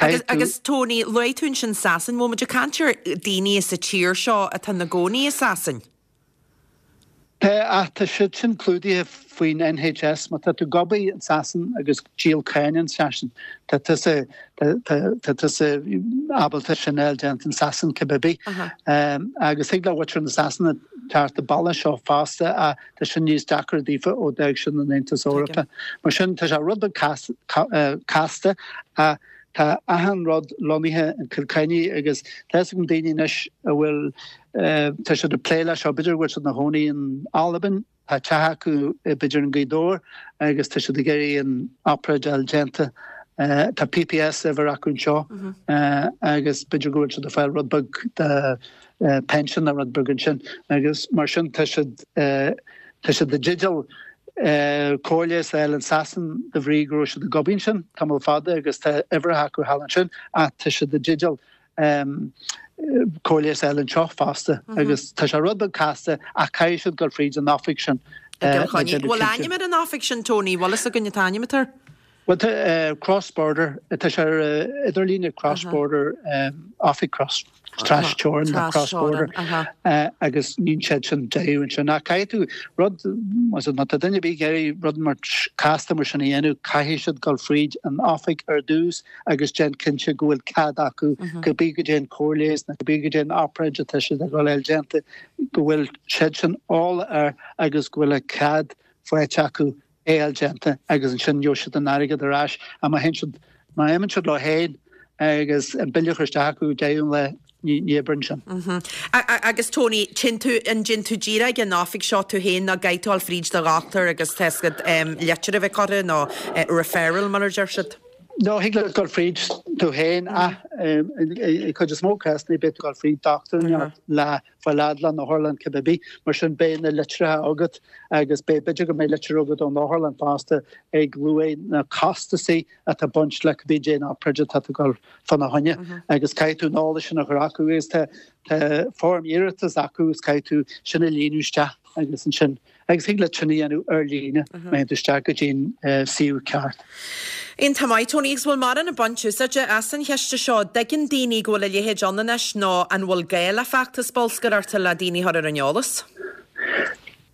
Agus, agus Tony, luaigh tú ansin Sasain, bhfuil muid ag caint ar daoine sa tír seo atá ina gcónaí i Sasain? Tá, ach tá siad sin clúdaithe faoin NHS. Má tá tú ag obair in Sasain agus ag díol cáin in Sasain, tá tusa, tá, tá tusa ábalta sin a fháil déanta in Sasain cibé bith. Agus thig le muintir na Sasana teacht an bealach seo fosta ach tá sin níos deacra daofa ó d'fhág siad an Aontas Eorpach. Mar sin, tá sé rud beag casta ach tá achan rud lonnaithe in Cill Chainnigh agus tá fhios agam daoine anois a bhfuil, tá siad ag plé leis seo, b'fhéidir go bhfuil siad ina chónaí in Albain, tá teach acu b'fhéidir in Gaoth Dobhair agus tá siad ag iarraidh an obráid a fháil déanta. Tá PPS uimhir acu anseo agus b'fhéidir go bhfuil siad ag fáil rud beag de pension nó rud beag ansin agus mar sin tá siad tá siad i dteideal cóir leighis a fháil in Sasain de bhrí go raibh siad ag obair ansin tamall fada agus tá uimhreacha acu thall ansin ach tá siad i dteideal cóir leighis a fháil anseo fosta agus tá sé rud beag casta ach caithfidh siad dul fríd an oifig sin le déanamh cinnte. Bhfuil ainm ar an oifig sin Tony? Bhfuil fhios againn an t-ainm atá air? Bhuel tá cross border, tá sé ar idirlíne cross border, oifig cross, tras-teorann nó cross border agus níonn siad sin deimhin ansin. Ach caithfidh tú rud, má tá duine ar bith ag iarraidh rud mar casta mar sin a dhéanamh, caithfidh siad dul fríd an oifig ar dtús agus déan cinnte go bhfuil cead acu cibé goidé an cóir leighis nó cibé goidé an obráid atá siad ag dul a fháil déanta, go bhfuil siad sin eolach air agus go bhfuil a cead faighte acu é a fháil déanta agus ansin gheobhaidh siad an airgead ar ais. Ach má théann siad, má imíonn siad leo féin agus an bille a chur isteach acu deireadh an lae, ní, ní oibreann sin. Agus Tony, téann tú, an dtéann tú díreach ag an oifig seo tú féin nó caithfidh tú dul fríd do dhochtúir agus tá a fhios agat litir a bheith curtha nó referral mar a deir siad? No, thig leat dul fríd tú féin ach i cuid is mó cásanna beidh tú ag dul fríd dochtúir le fáil fhad leis an otharlann cibé ar bith. Mar sin beidh na litreacha agat agus beidh b'fhéidir go mbeidh litir agat ón otharlann fosta ag luaigh na costasaí atá ag baint le cibé goidé an obráid atá tú ag dul fána choinne agus caithfidh tú an eolas sin a chur acu agus tá tá foirm iarratas acu agus caithfidh tú sin a líonadh isteach agus ansin Agus thig leat sin a dhéanamh ar líne má théann tú isteach go dtí an suíomh ceart. Iontach maith, Tony, agus bhfuil mórán ag baint úsáide as an chiste seo? Dtuigeann daoine go bhfuil a leithéid ann anois nó an bhfuil gá le feachtas bolscaireachta le daoine a chur ar an eolas?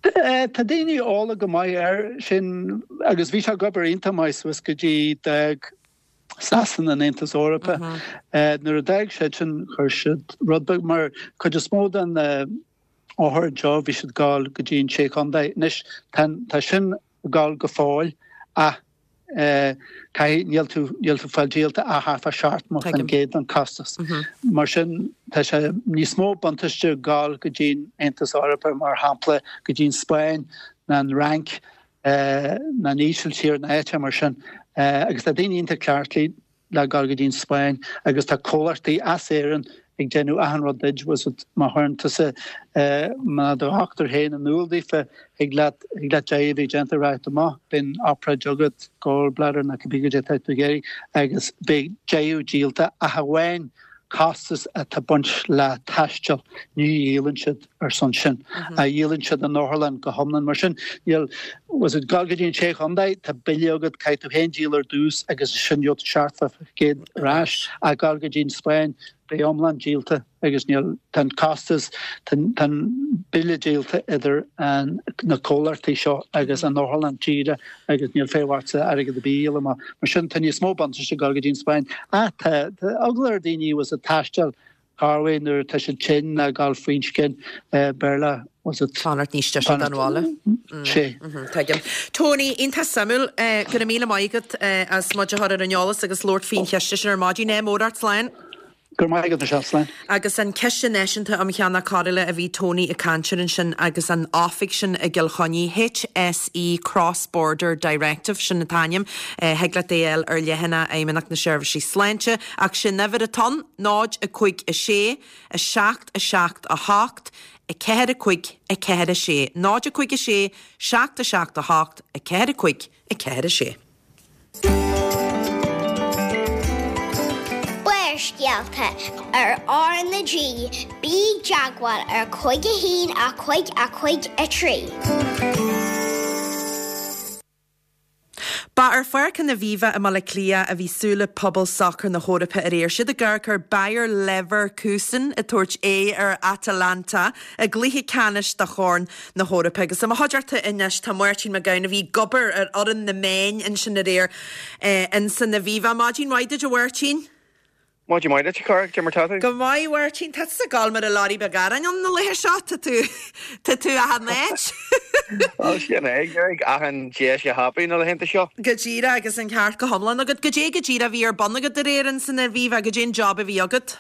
Tá daoine eolach go maith air sin agus bhí sé ag obair iontach maith suas go dtí d'fhág Sasana an Aontas Eorpach. Nuair a d'fhág siad sin chuir siad rud beag mar cuid is mó den othair anseo, bhí siad ag gabháil go dtí an Sé Chontae. Anois tá tá sin ag gabháil go fóill ach caithfidh, níl tú, níl tú ag fáil díolta ach thart fá seachtó faoin gcéad den costas. Mar sin tá sé níos mó buntáiste gabháil go dtí an Aontas Eorpach mar shampla go dtí an Spáinn ná an Fhrainc ná an Ísiltír ná áit mar sin. Agus tá daoine iontach cleachtaithe le gabháil go dtí an Spáinn agus tá comhlachtaí as Éirinn ag déanamh achan rud duit, bhfuil a fhios agat, má chuireann tusa má do dhochtúir féin in iúl daofa, thig leat, thig leat deimhniú a bheith déanta rachaidh tú amach, beidh an obráid agat, gallbladder nó cibé goidé atá tú ag iarraidh agus beidh deimhniú díolta ach amháin costas atá ag baint le taisteal, ní dhíolann siad ar son sin, ach dhíolann siad an otharlann go hiomlán. Mar sin, níl, bhfuil a fhios agat, gabháil go dtí an Sé Chontae, tá bille agat, caithfidh tú féin díol ar dtús agus ansin gheobhaidh tú seachtó faoin gcéad ar ais, ach gabháil go dtí an Spáinn, beidh iomlán díolta agus níl, tá an costas, tá an bille díolta idir an, na comhlachtaí seo agus an otharlann díreach agus níl feidhm ortsa airgead ar bith a dhíol amach. Mar sin, tá níos mó buntáiste ag dul go dtí an Spáinn. Ach tá, tá eagla ar daoine bhfuil a fhios agat taisteal corruair nuair atá siad tinn ná gabháil faoin scian, Béarla, bhfuil a fhios agat. Fanacht níos deise don bhaile. Sé. Tuigim. Tony, iontach suimiúil. Go raibh míle maith agat as muid a chur ar an eolas agus labhairt faoin chiste sin ar maidin. Ádh mór ort, slán. Go raibh maith agat, Michelle, slán. Agus an Ciste Náisiúnta um Cheannach Cóireála a bhí Tony ag caint air ansin agus an oifig sin i gCill Chainnigh, HSE Cross Border Directive, sin an t-ainm, thig leat é a fháil ar leathanach Fheidhmeannacht na Seirbhísí Sláinte, ach sin uimhir atá ann, náid a cúig a sé, a seacht a seacht a hocht, a ceathair a cúig, a ceathair a sé, náid a cúig a sé, seacht a seacht a hocht, a ceathair a cúig, a ceathair a sé. Barrscéalta ar R na G, bí i dteagmháil ar cúig a haon a cúig a cúig a trí. Ba ar Pháirc an Aviva i mBaile Átha Cliath a bhí súile pobal sacair na hEorpa aréir. Siad ag amharc ar Bayer Leverkusen ag tabhairt aghaidh ar Atalanta i gcluiche ceannais do Chorn na hEorpa. Agus i mo chuideachta anois tá Máirtín Mac Gabhann a bhí ag obair ar fhoireann na meán ansin aréir insan Aviva. Maidin mhaith duit a Mháirtín. Maidin mhaith duit, a chara, cad é mar tá tú? Go maith, a Mháirtín. Tá tusa ag gabháil mar an leoraí beag aráin ann na laethe seo. Tá tú, tá tú achan áit. Bhuel, sin é, ag achan deis a thapú na laethanta seo. Go díreach, agus an ceart go hiomlán agat. Goidé go díreach a bhí ar bun agat aréir insan Aviva, goidé an job a bhí agat?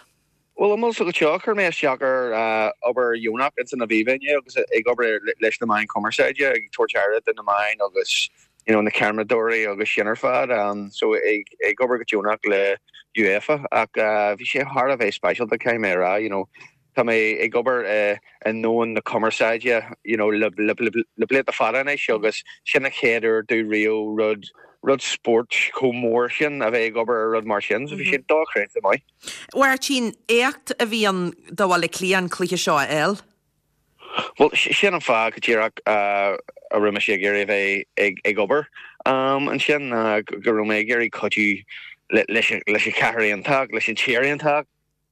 Bhuel, an bhfuil a fhios agat seo, chuir mé isteach ar obair dheonach ins an Aviva inné agus ag obair leis na meáin chumarsáide, ag tabhairt aire do na meáin agus you know na ceamaradóirí agus sin ar fad. So ag ag obair go deonach le UEFA ach bhí sé thar a bheith speisialta caithfidh mé a rá, you know tá mé ag obair i i ndomhan na cumarsáide you know le le le blianta fada anois agus sin an chéad uair domh riamh rud rud spóirt chomh mór sin a bheith ag obair ar rud mar sin so bhí sé dochreidte maith. Mháirtín, éacht a bhí ann do Bhaile Átha Cliath an cluiche seo a fháil. Bhuel, sin an fáth go díreach a raibh mise ag iarraidh a bheith ag obair Ansin ná go raibh mé ag iarraidh cuidiú leis an chathair iontach, leis an tír iontach,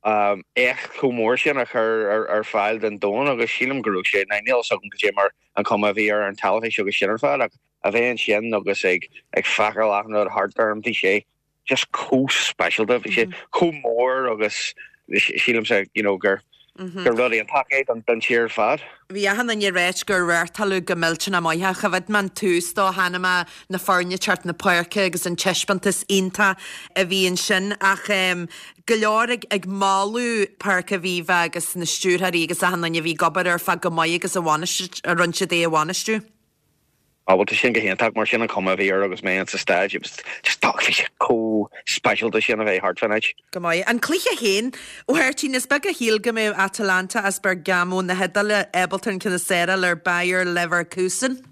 éacht chomh mór sin a chur ar fáil don domhan agus sílim go raibh sé, níl fhios agam cad é mar an chuma a bhí ar an teilifís agus sin ar fad ach a bheith ansin agus ag ag feiceáil achan rud thart orm, bhí sé just chomh speisialta, bhí sé chomh mór agus sílimse you know gur gur rud iontach é don don tír ar fad. Bhí achan duine ag ráit gur reáchtáladh go millteanach maith é. Choimhéad mé an tús dó, chonaic mé na foirne ag teacht na páirce agus an taispeántas iontach a bhí ansin ach go leor ag ag moladh Páirc Aviva agus na stiúrthóirí agus achan duine a bhí ag obair ar fad go maith agus a bhainistiú a rinne siad é a bhainistiú. Ah bhuel tá sin go hiontach mar sin an chuma a bhí air agus mé in sa staid it was just bhí sé chomh speisialta sin a bheith thart fán áit. Go maith. An cluiche féin, a Mháirtín, is beag a shíl go mbeadh Atalanta as Bergamo na hIodáile ábalta an ceann is fearr a fháil ar Bayer Leverkusen.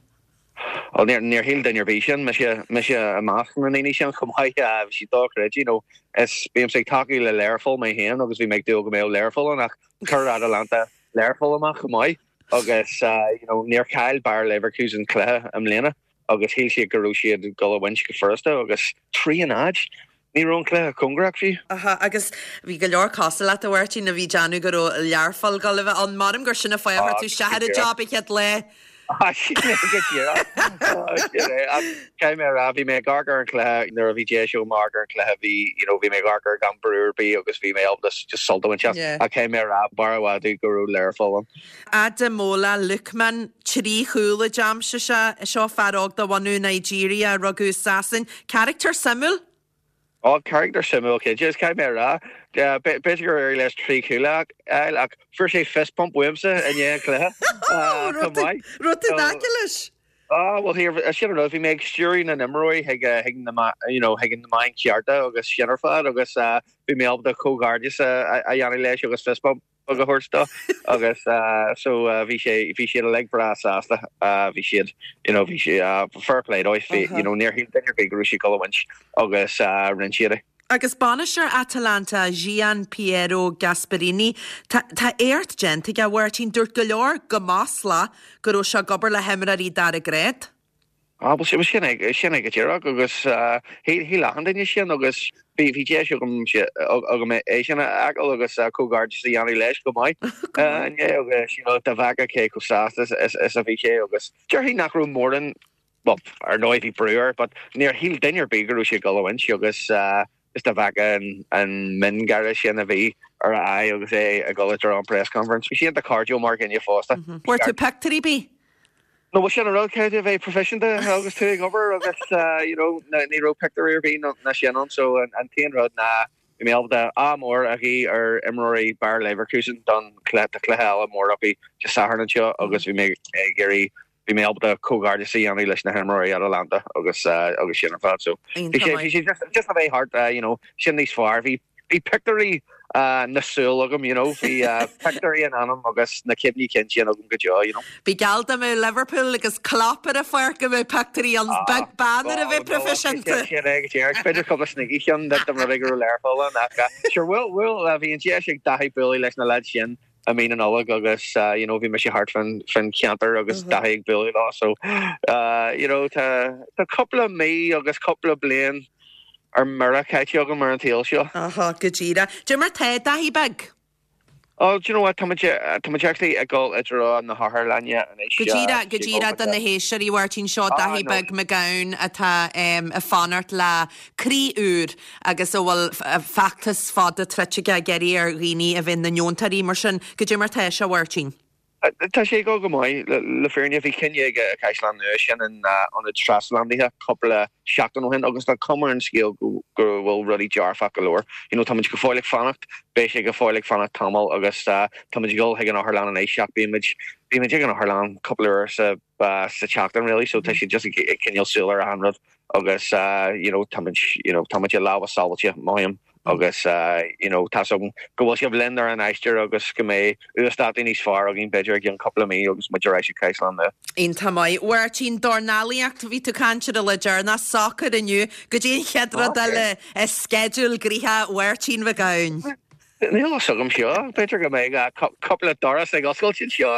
Bhuel níor níor shíl duine ar bith sin, mise mise i measc na ndaoine sin chomh maith, bhí sé dochreidte you know is bímse ag tacú le Learpholl mé féin agus bhí mé ag dúil go mbeadh Learpholl ann ach chuir Atalanta Learpholl amach chomh maith. Agus you know níor chaill Bayer Leverkusen cluiche i mbliana agus shíl siad go raibh siad ag dul a bhaint go furasta agus trí a náid. Ní raibh an cluiche cóngarach fiú. Aha, agus bhí go leor cosúil leat a Mháirtín a bhí ag déanamh go raibh Learpholl ag dul a bheith ann. Measaim gur sin an fáth a chuir tú isteach ar an job an chéad lá. Ah, sin é go díreach. Sin é. Ach caithfidh mé a rá, bhí mé ag amharc ar an chluiche nuair a bhí deis agam amharc ar an chluiche, bhí, you know, bhí mé ag amharc air gan brú ar bith agus bhí mé ábalta just sult a bhaint as. Yeah. Ach caithfidh mé a rá, b'fhearr i bhfad domh go raibh Learpholl ann. Ademola Lookman, trí chúl a d'aimsigh sé, seo fear óg de bhunadh Nigeria a rugadh i Sasain. Carachtar suimiúil? Ó, carachtar suimiúil cinnte, is caithfidh mé a rá, b'fhéidir gur éirigh leis trí chúl a fháil ach fuair sé fist bump uaimse i ndiaidh an chluiche chomh maith. Raibh tú in aice leis? Á, bhuel here, sin an rud, bhí mé ag stiúradh na n-imreoirí chuig chuig na you know chuig na meáin chearta agus sin ar fad agus bhí mé ábalta comhghairdeas a dhéanamh leis agus fist bump a thabhairt dó agus so bhí sé bhí siad uilig breá sásta bhí siad you know bhí sé fair play dóibh bhí you know níor shíl duine ar bith go raibh siad ag dul a bhaint agus rinne siad é. Agus bainisteoir Atalanta Gian Piero Gasperini tá tá éacht déanta aige a Mháirtín dúirt go leor go maslach go raibh sé ag obair le himreoirí dara grád. Ah bhuel sin sin é sin é go díreach agus shíl achan duine sin agus bhí bhí deis agam agam é sin a fheiceáil agus comhghairdeas a dhéanamh leis go maith inné agus you know dá bhfeicfeá cé chomh sásta is is a bhí sé agus déarfainn nach raibh mórán well ar ndóigh bhí brú air but níor shíl duine ar bith go raibh sé ag dul a bhaint agus is dá bhfeicfeá an an miongháire sin a bhí ar a aghaidh agus é ag dul i dtreo an press conference. Bhí sé iontach cairdiúil mar dhuine fosta. Fuair tú pictiúirí ar bith? No bhuel sin an rud caithfidh tú a bheith proifisiúnta agus tú ag obair agus you know ní raibh pictiúirí ar bith ná sin ann so an t-aon rud ná bhí mé ábalta ádh mór a ghuí ar imreoirí Bayer Leverkusen don chluiche tá cluiche eile mór acu Dé Sathairn anseo agus bhí mé ag iarraidh bhí mé ábalta comhghairdeas a dhéanamh leis na himreoirí Atalanta agus agus sin ar fad so bhí sé bhí sé just just a bheith thart you know sin níos fearr bhí bhí pictiúirí na súl agam, you know, bhí pictiúirí in anam agus na cuimhní cinn sin agam go deo, you know. Bhí geall dá mbeadh Liverpool agus Klopp ar an pháirc go mbeadh pictiúirí ann, beag beann ar a bheith proifisiúnta. Sin é go díreach. B'fhéidir cúpla snoígí cheann de rud go raibh Learpholl ann ach sure bhuel bhuel bhí an deis ag Daithí bualadh leis na lads sin i mí na Nollag agus you know bhí mise thart fán fán cheantar agus Daithí ag bualadh leo so you know tá tá cúpla mí agus cúpla bliain ar mire caite agam ar an tsaol seo. Aha, go díreach. Cad é mar tá Daithí beag? Oh, do you know what, tá muid, tá muid actually ag dul i dtreo na hotharlainne anois. Go díreach, go díreach do na héisteoirí, a Mháirtín, seo Daithí Beag Mac Gabhann atá ag fanacht le croí úr agus a bhfuil feachtas fada troite aige ag iarraidh ar dhaoine a bheith ina ndeontóirí mar sin. Cad é mar tá sé, a Mháirtín? Tá sé ag dul go maith. Le fírinne, bhí cinneadh ag an Caisleán Nua sin an ionad trasphlandaithe cúpla seachtain ó shin agus tá cuma ar an scéal go bhfuil rudaí dearfach go leor. You know, táimid go fóill ag fanacht, beidh sé go fóill ag fanacht tamall agus táimid ag dul chuig an otharlann anois ach bímid, bímid ag an otharlann cúpla uair sa sa tseachtain really so tá siad just ag coinneáil súil ar achan rud agus you know táimid, you know, táimid i lámha sábháilte, mothaím. Agus you know tá's agam go bhfuil sibh linn ar an aistear agus go mbeidh uasdátaí níos fearr againn b'fhéidir i gceann cúpla mí agus muid ar ais ag Caisleán Nua. Iontach maith. Mháirtín, dornálaíocht, bhí tú ag caint ar an lá deireanach, sacar inniu, goidé an chéad rud eile i sceideal gnoitheach Mháirtín Mhic Gabhann. Níl a fhios agam seo, b'fhéidir go mbeidh cúpla doras ag oscailt anseo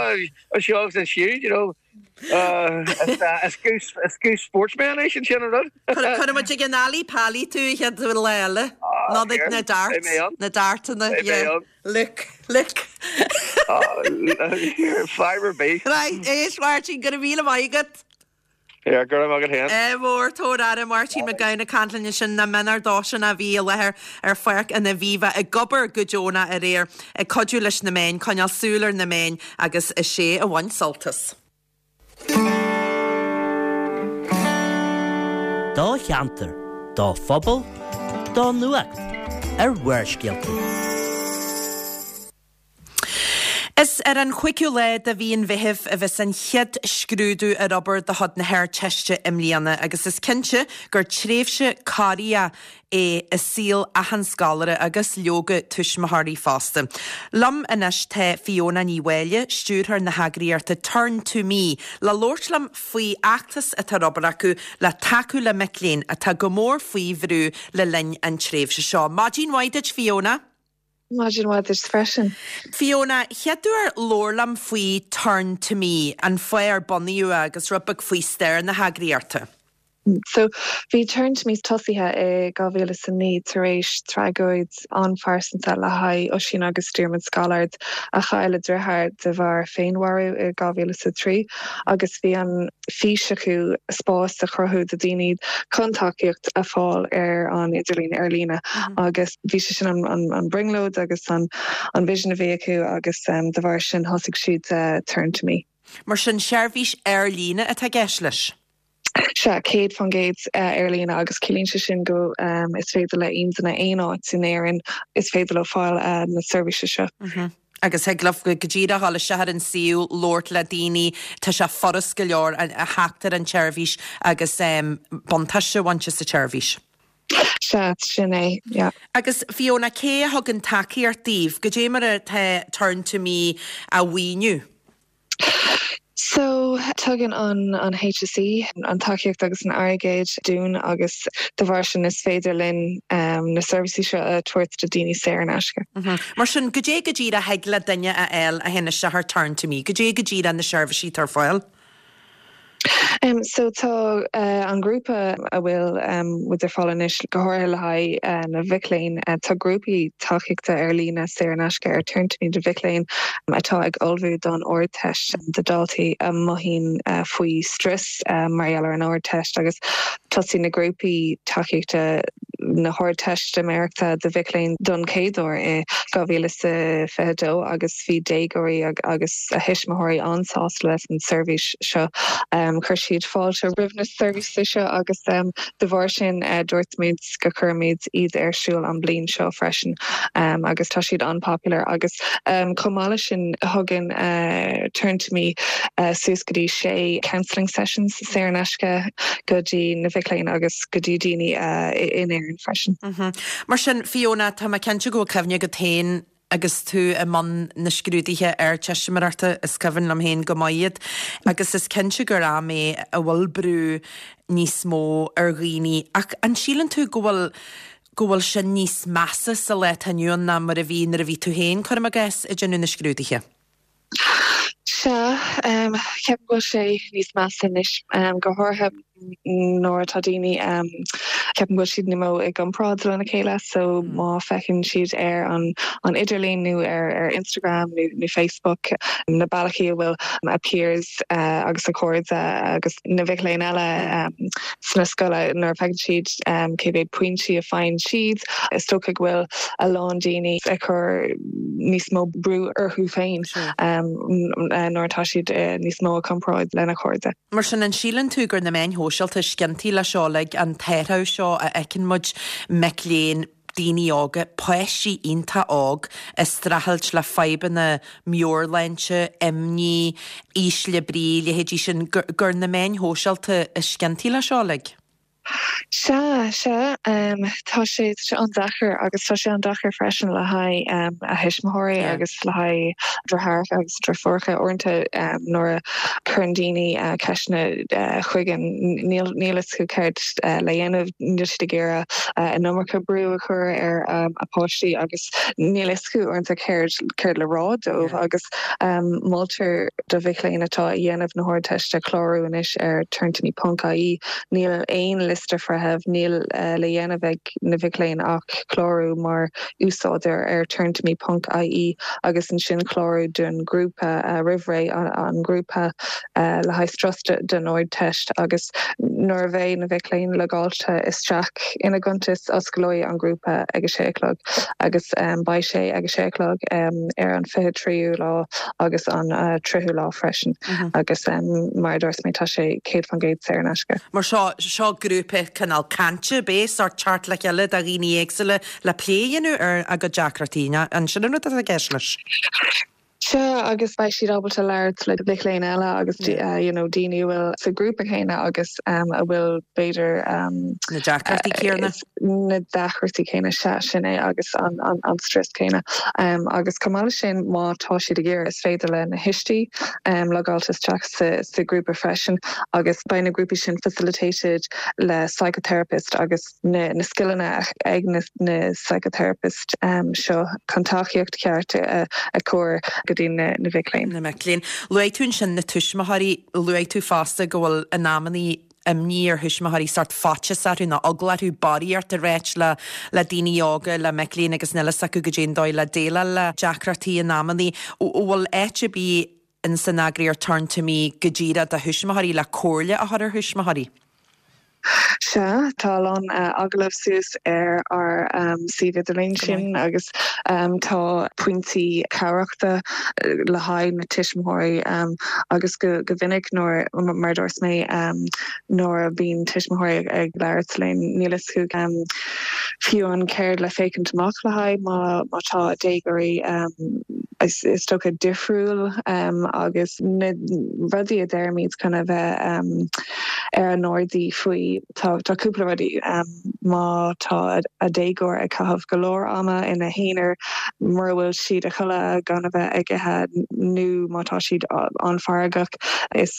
anseo agus ansiúd, you know. Is goose is goose sportsman é sin sin an rud. Cuirfidh muid ag an Ally Pally tú an chéad lá eile. Nó ag na darts, na dartanna, yeah. Look, look. Fadhb ar bith. Right, éist Máirtín, go raibh míle maith agat. Yeah, go raibh maith agat féin. Ádh mór, tabhair aire, Máirtín Mac Gabhann ag caint linn ansin na mionúr dósan a bhí i láthair ar Pháirc an Aviva ag obair go deonach aréir, ag cuidiú leis na meáin, coinneáil súil ar na meáin agus is é a bhain sult as. Do cheantar, do phobal, do nuacht ar Bharrscéalta. Is ar an chúigiú lá de mhí an Mheithimh a bheas an chéad scrúdú ar obair de chuid na hArdteiste i mbliana agus is cinnte gur tréimhse corraitheach é i saol achan scoláire agus leoga tuismitheoirí fosta. Liom anois tá Fiona Ní Mháille, stiúrthóir na heagraíochta Turn to Me, le labhairt liom faoi fheachtas atá ar obair acu le tacú le mic léinn atá go mór faoi bhrú le linn an tréimhse seo. Maidin mhaith duit Fiona. Maidin mhaith duit freisin. Fiona, chéaduair labhair liom faoi Turn to Me, an fáth ar bunaíodh é agus rud beag faoi stair na heagraíochta. So bhí Turn to Me tosaithe i dhá mhíle is a naoi tar éis tragóid an-phearsanta le haghaidh Oisín agus Diarmuid Scollard a chaill a deartháir de bharr féinmharú i dhá mhíle is a trí agus bhí an fís acu spás a chruthú do daoine chun tacaíocht a fáil ar an idirlíon ar líne agus bhí sé sin an, an, an brionglóid agus an, an vision a bhí acu agus um, de bharr sin thosaigh siad uh, Turn to Me. Mar sin seirbhís ar líne atá i gceist leis. Sea, céad faoin gcéad ar líne agus ciallaíonn sé sin go um, is féidir le aon duine aon áit in Éirinn is féidir leo fáil uh, na seirbhíse seo. Mm -hmm. Agus thig leo go díreach dul isteach ar an suíomh labhairt le daoine tá sé furast go leor a theacht ar an tseirbhís agus um, buntáiste a bhaint as an tseirbhís. Sea, sin é, yeah. Agus Fiona cé a thugann tacaíocht daoibh, goidé mar atá Turn to Me á mhaoiniú. So tugann an an HSE an tacaíocht agus an airgead dúinn agus de bharr sin is féidir linn um, na seirbhísí seo a tabhairt do daoine saor in aisce. Mm -hmm. Mar sin goidé go díreach a thig le duine a fháil a théann isteach ar Turn to Me, goidé go díreach na seirbhísí atá ar fáil? Um, so tá uh, an grúpa a bhfuil um, muid ar fáil anois go háirithe le haghaidh uh, na mhic léinn uh, tá grúpaí tacaíochta ar líne saor in aisce ar Turn to Me do mhic léinn um, atá ag ullmhú don Ardteist do daltaí a mothaíonn uh, faoi strus uh, mar gheall ar an Ardteist agus tosaigh na grúpaí tacaíochta na hArdteistiméireachta do mhic léinn don chéad uair i dhá mhíle fiche dó agus bhí déagóirí agus a thuismitheoirí an-sásta leis an seirbhís seo. Um, chuir siad fáilte roimh na seirbhísí seo agus um, de bharr sin uh, dúirt muid go gcuirfimid iad ar siúl an bliain seo freisin um, agus tá siad an-popular agus um, chomh maith leis sin thugann uh, Turn to Me uh, suas go dtí sé counselling sessions saor in aisce go dtí na mhic léinn agus go dtí daoine uh, in Éirinn freisin. Mm -hmm. Mar sin Fiona tá mé cinnte go bhfuil cuimhne agat féin agus tú i mbun na scrúduithe Ardteistiméireachta is cuimhin liom féin go maith iad agus is cinnte gur am é a bhfuil brú níos mó ar dhaoine ach an síleann tú go bhfuil go bhfuil sin níos measa sa lá atá inniu ann ná mar a bhí nuair a bhí tú féin cuirim i gcás ag déanamh na scrúduithe. Sea, um, ceapaim go bhfuil sé níos measa anois um, go háirithe nuair atá daoine um, ceapaim go bhfuil siad níos mó i gcomparáid lena chéile so mm. má fheiceann siad ar an an idirlíon nó ar ar Instagram nó nó Facebook na bealaí a bhfuil a peers uh, agus a cairde agus na mhic léinn eile um, sna scoile nuair a fheiceann siad um, cé mhéad pointí a faigheann siad is dócha go bhfuil a lán daoine ag cur níos mó brú orthu féin um, nuair atá siad uh, níos mó i gcomparáid lena cairde. Mar sin an síleann tú gur na meáin shóisialta is ciontaí le seo like an t-athrú seo a fheiceann muid mic léinn daoine óga, páistí iontach óg ag streachailt le fadhbanna meabhairshláinte, imní, ísle brí, leithéidí sin gur na meáin shóisialta is ciontaí le seo like. Sea, sea, tá sé tá sé an-deacair agus tá sé an-deacair freisin le haghaidh a thuismitheoirí agus le haghaidh deartháireacha agus deirfiúracha uaireanta nuair a chuireann daoine ceisteanna chugainn níl níl a fhios acu céard le dhéanamh, níl siad ag iarraidh an iomarca brú a chur ar a páistí agus níl a fhios acu uaireanta céard céard le rá dóibh agus moltar do mhic léinn atá ag déanamh na hArdteiste clárú anois ar turntome ponc ie. Níl aon liosta feithimh, níl le dhéanamh ag na mhic léinn ach clárú mar úsáideoir ar turntome ponc ie agus ansin clárú don grúpa roimh ré an grúpa le haghaidh strus don Ardteist agus nuair a bheidh na mhic léinn logáilte isteach ina gcuntas osclóidh an grúpa ag a sé a chlog agus beidh sé ag a sé a chlog ar an fiche tríú lá agus an tríú lá freisin agus mar a dúirt mé tá sé céad faoin gcéad saor in aisce. Mar seo seo grúpa cineál cainte b'é sórt teacht le chéile do dhaoine éagsúla le plé a dhéanamh ar a gcuid deacrachtaí. An sin an rud atá i gceist leis? Sea agus beidh siad ábalta labhairt le mic léinn eile agus you know daoine a bhfuil sa grúpa céanna agus um, a bhfuil b'fhéidir um, Na deacrachtaí céanna? na deacrachtaí céanna sea sin é agus an, an, an stress céanna. Um, agus chomh maith leis sin má tá siad ag iarraidh is féidir le na tuistí um, logáil isteach sa, sa grúpa freisin agus beidh na grúpaí sin facilitated le psychotherapist agus na, na scileanna ag na, na psychotherapist um, seo chun tacaíocht ceart a, a chur go dtí na, na mhic léinn. Na mic léinn. Luaigh tú ansin na tuismitheoirí, luaigh tú fosta go bhfuil in amannaí imní ar thuismitheoirí sórt faitíos orthu nó eagla orthu barraíocht a ráit le le daoine óga le mic léinn agus níl a fhios acu goidé an dóigh le déileáil le deacrachtaí in amannaí. Bhfuil áit ar bith in san eagraíocht Turn to Me go díreach do thuismitheoirí le comhairle a chur ar thuismitheoirí? Sea, tá a lán uh, agallamh suas ar ár um, suíomh idirlín sin agus um, tá pointí cabhrachta le haghaidh na tuismitheoirí um, agus go, go minic nuair mar dúirt mé um, nuair a bhíonn tuismitheoirí ag labhairt linn níl a fhios acu um, fiú an céard le féachaint amach le haghaidh má má tá déagóirí um, is, is dócha difriúil um, agus na rudaí a deirimid chun a bheith um, ar a n-airdeall faoi tá tá cúpla rudaí um, má tá a déagóir ag caitheamh go leor ama ina n-aonar mura bhfuil siad a chodladh gan a bheith ag ithe nó má tá siad an-fheargach is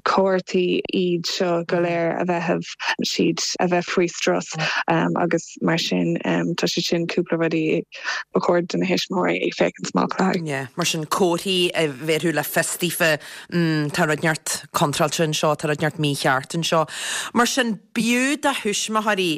comharthaí iad seo go léir a bheith siad a bheith faoi strus um, agus mar sin um, tá sé sin cúpla rudaí ba chóir do na tuismitheoirí é féachaint amach le haghaidh. Yeah, mar sin comharthaí a bheith le fios daofa mm, tá rud inteacht contráilte anseo, tá rud inteacht mícheart anseo. Mar sin b'fhiú do thuismitheoirí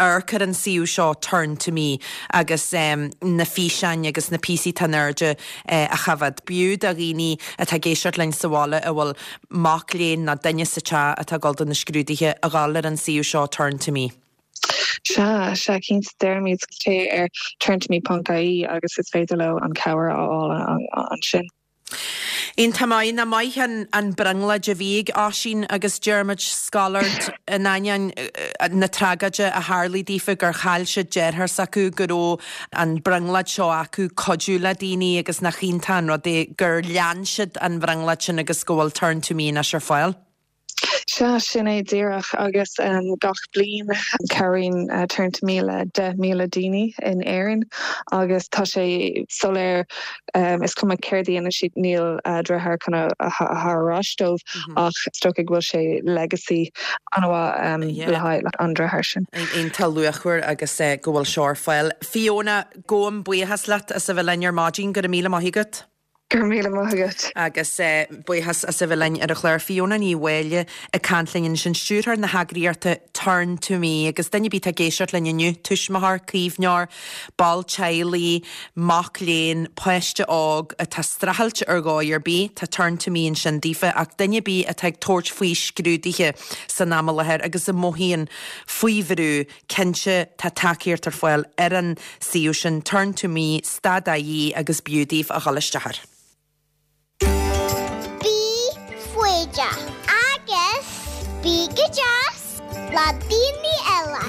amharc ar an suíomh seo Turn to Me agus um, na físeáin agus na píosaí tá in airde uh, a choimhéad. B'fhiú do dhaoine atá ag éisteacht linn sa bhaile a bhfuil mac léinn nó duine sa teach atá ag dul do na scrúduithe a ghabháil ar an suíomh seo Turn to Me. Sea sea cinnte deirimid téigh ar turntome.ie agus is féidir leo an cabhair a fháil ansin. Iontach maith nach maith an, an brionglóid a bhí ag Oisín agus Diarmuid Scollard in ainneoin na tragóide a tharla daofa gur chaill siad deartháir s'acu go raibh an brionglóid seo acu cuidiú le daoine agus nach iontach an rud é gur lean siad an bhrionglóid sin agus go bhfuil Turn to Me anois ar fáil. Sea sin é díreach agus um, gach bliain cabhraíonn uh, Turn to Me le deich míle daoine in Éirinn agus tá sé soiléir um, is cuma céard a dhéanann siad níl uh, deartháir chun a thabhairt ar ais dóibh mm -hmm. ach is dócha go bhfuil sé legacy an-mhaith um, yeah. le haghaidh an deartháir sin. Iontach luachmhar agus uh, go bhfuil seo ar fáil. Fiona gabhaim buíochas leat as a bheith linn ar maidin go raibh míle maith agat. Gur míle maithgat. Agus uh, buíochas as a bheith linn ar an chlár Fiona Ní Mháille ag caint linn sin stiúrthóir na heagraíochta Turn to Me agus duine ar bith ag éisteacht linn inniu tuismitheoir caomhnóir, ball teaghlaigh, mac léinn, páiste óg atá streachailt ar dhóigh ar bith, tá Turn to Me ansin daofa ach duine ar bith atá ag tabhairt faoi scrúduithe san am i láthair agus a mothaíonn faoi bhrú cinnte tá tacaíocht ar fáil ar an suíomh sin Turn to Me stad ie agus b'fhiú daoibh a dhul isteach air. Bí foighdeach agus bí go deas le daoine eile.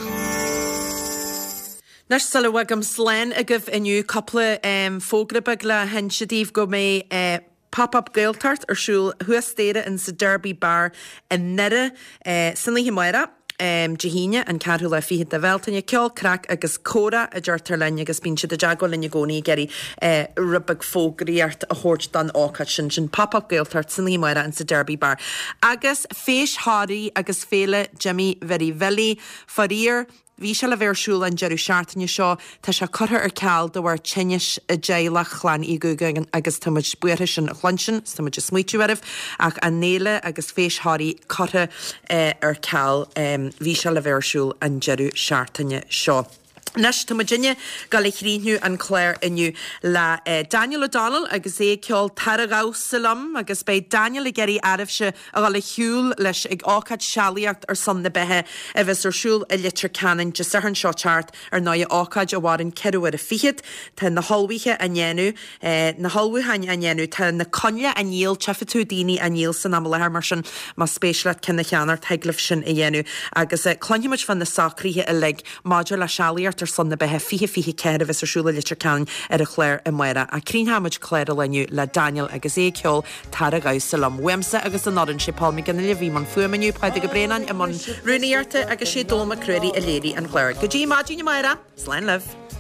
Anois sula bhfágaim slán agaibh inniu cúpla um, fógra beag le hinse daoibh go mbeidh uh, Pop-up Gaeltacht ar siúl thuas staighre in sa Derby Bar i nDoire uh, san oíche amárach. Dé hAoine, an ceathrú lá fichead de Bhealtaine, ceol, craic agus comhrá a deirtear linn agus bíonn siad i dteagmháil linn i gcónaí ag iarraidh rud beag fógraíocht a thabhairt don ócáid sin, sin Pop Up Gaeltacht san oíche amárach insa Derby Bar. Agus Feis Thoraí agus Féile Jimí Mhary Bhilí, faraor, Bhí sé le bheith ar siúl an deireadh seachtaine seo. Tá sé curtha ar ceal de bharr tinnis i dteaghlach Chlann Uí Dhúgáin agus tá muid buartha sin a chluinstin 's tá muid ag smaoitiú oraibh ach an fhéile agus Feis Thoraí curtha ar ceal. Bhí sé le bheith ar siúl an deireadh seachtaine seo. Anois, tá muidinne ag gabháil a chríochnú an clár inniu le Daniel O'Donnell agus é ag ceol Tar a Dhamhsa Liom agus beidh Daniel ag iarraidh oraibhse a dhul ar shiúl leis ag ócáid Sealaíocht ar son na Beatha a bheas ar siúl i Leitir Ceanainn Dé Sathairn seo teacht, ar ndóigh, ócáid a mhaireann ceithre huaire fichead. Tá na hullmhuithe á ndéanamh, na hullmhúcháin á ndéanamh, tá na coinnle á ndíol, tchífidh tú daoine á ndíol san am i láthair mar sin más spéis leat ceann a cheannacht thig libh sin a dhéanamh agus cluinfidh muid fá na socruithe uilig maidir le Sealaíocht ar son na Beatha fiche fiche ceathair a bheas ar siúl i Leitir Ceanainn ar an chlár amárach. Ach críochnóidh muid clár an lae inniu le Daniel agus é ag ceol Tar a Dhamhsa Liom. Uaimse agus an fhoireann, sé Paul McGinley a bhí i mbun fuaime inniu, Pádraig Ó Braonáin i mbun rúnaíochta agus sé Dónall Mac Ruairí a léirigh an clár. Go dtí maidin amárach, slán libh.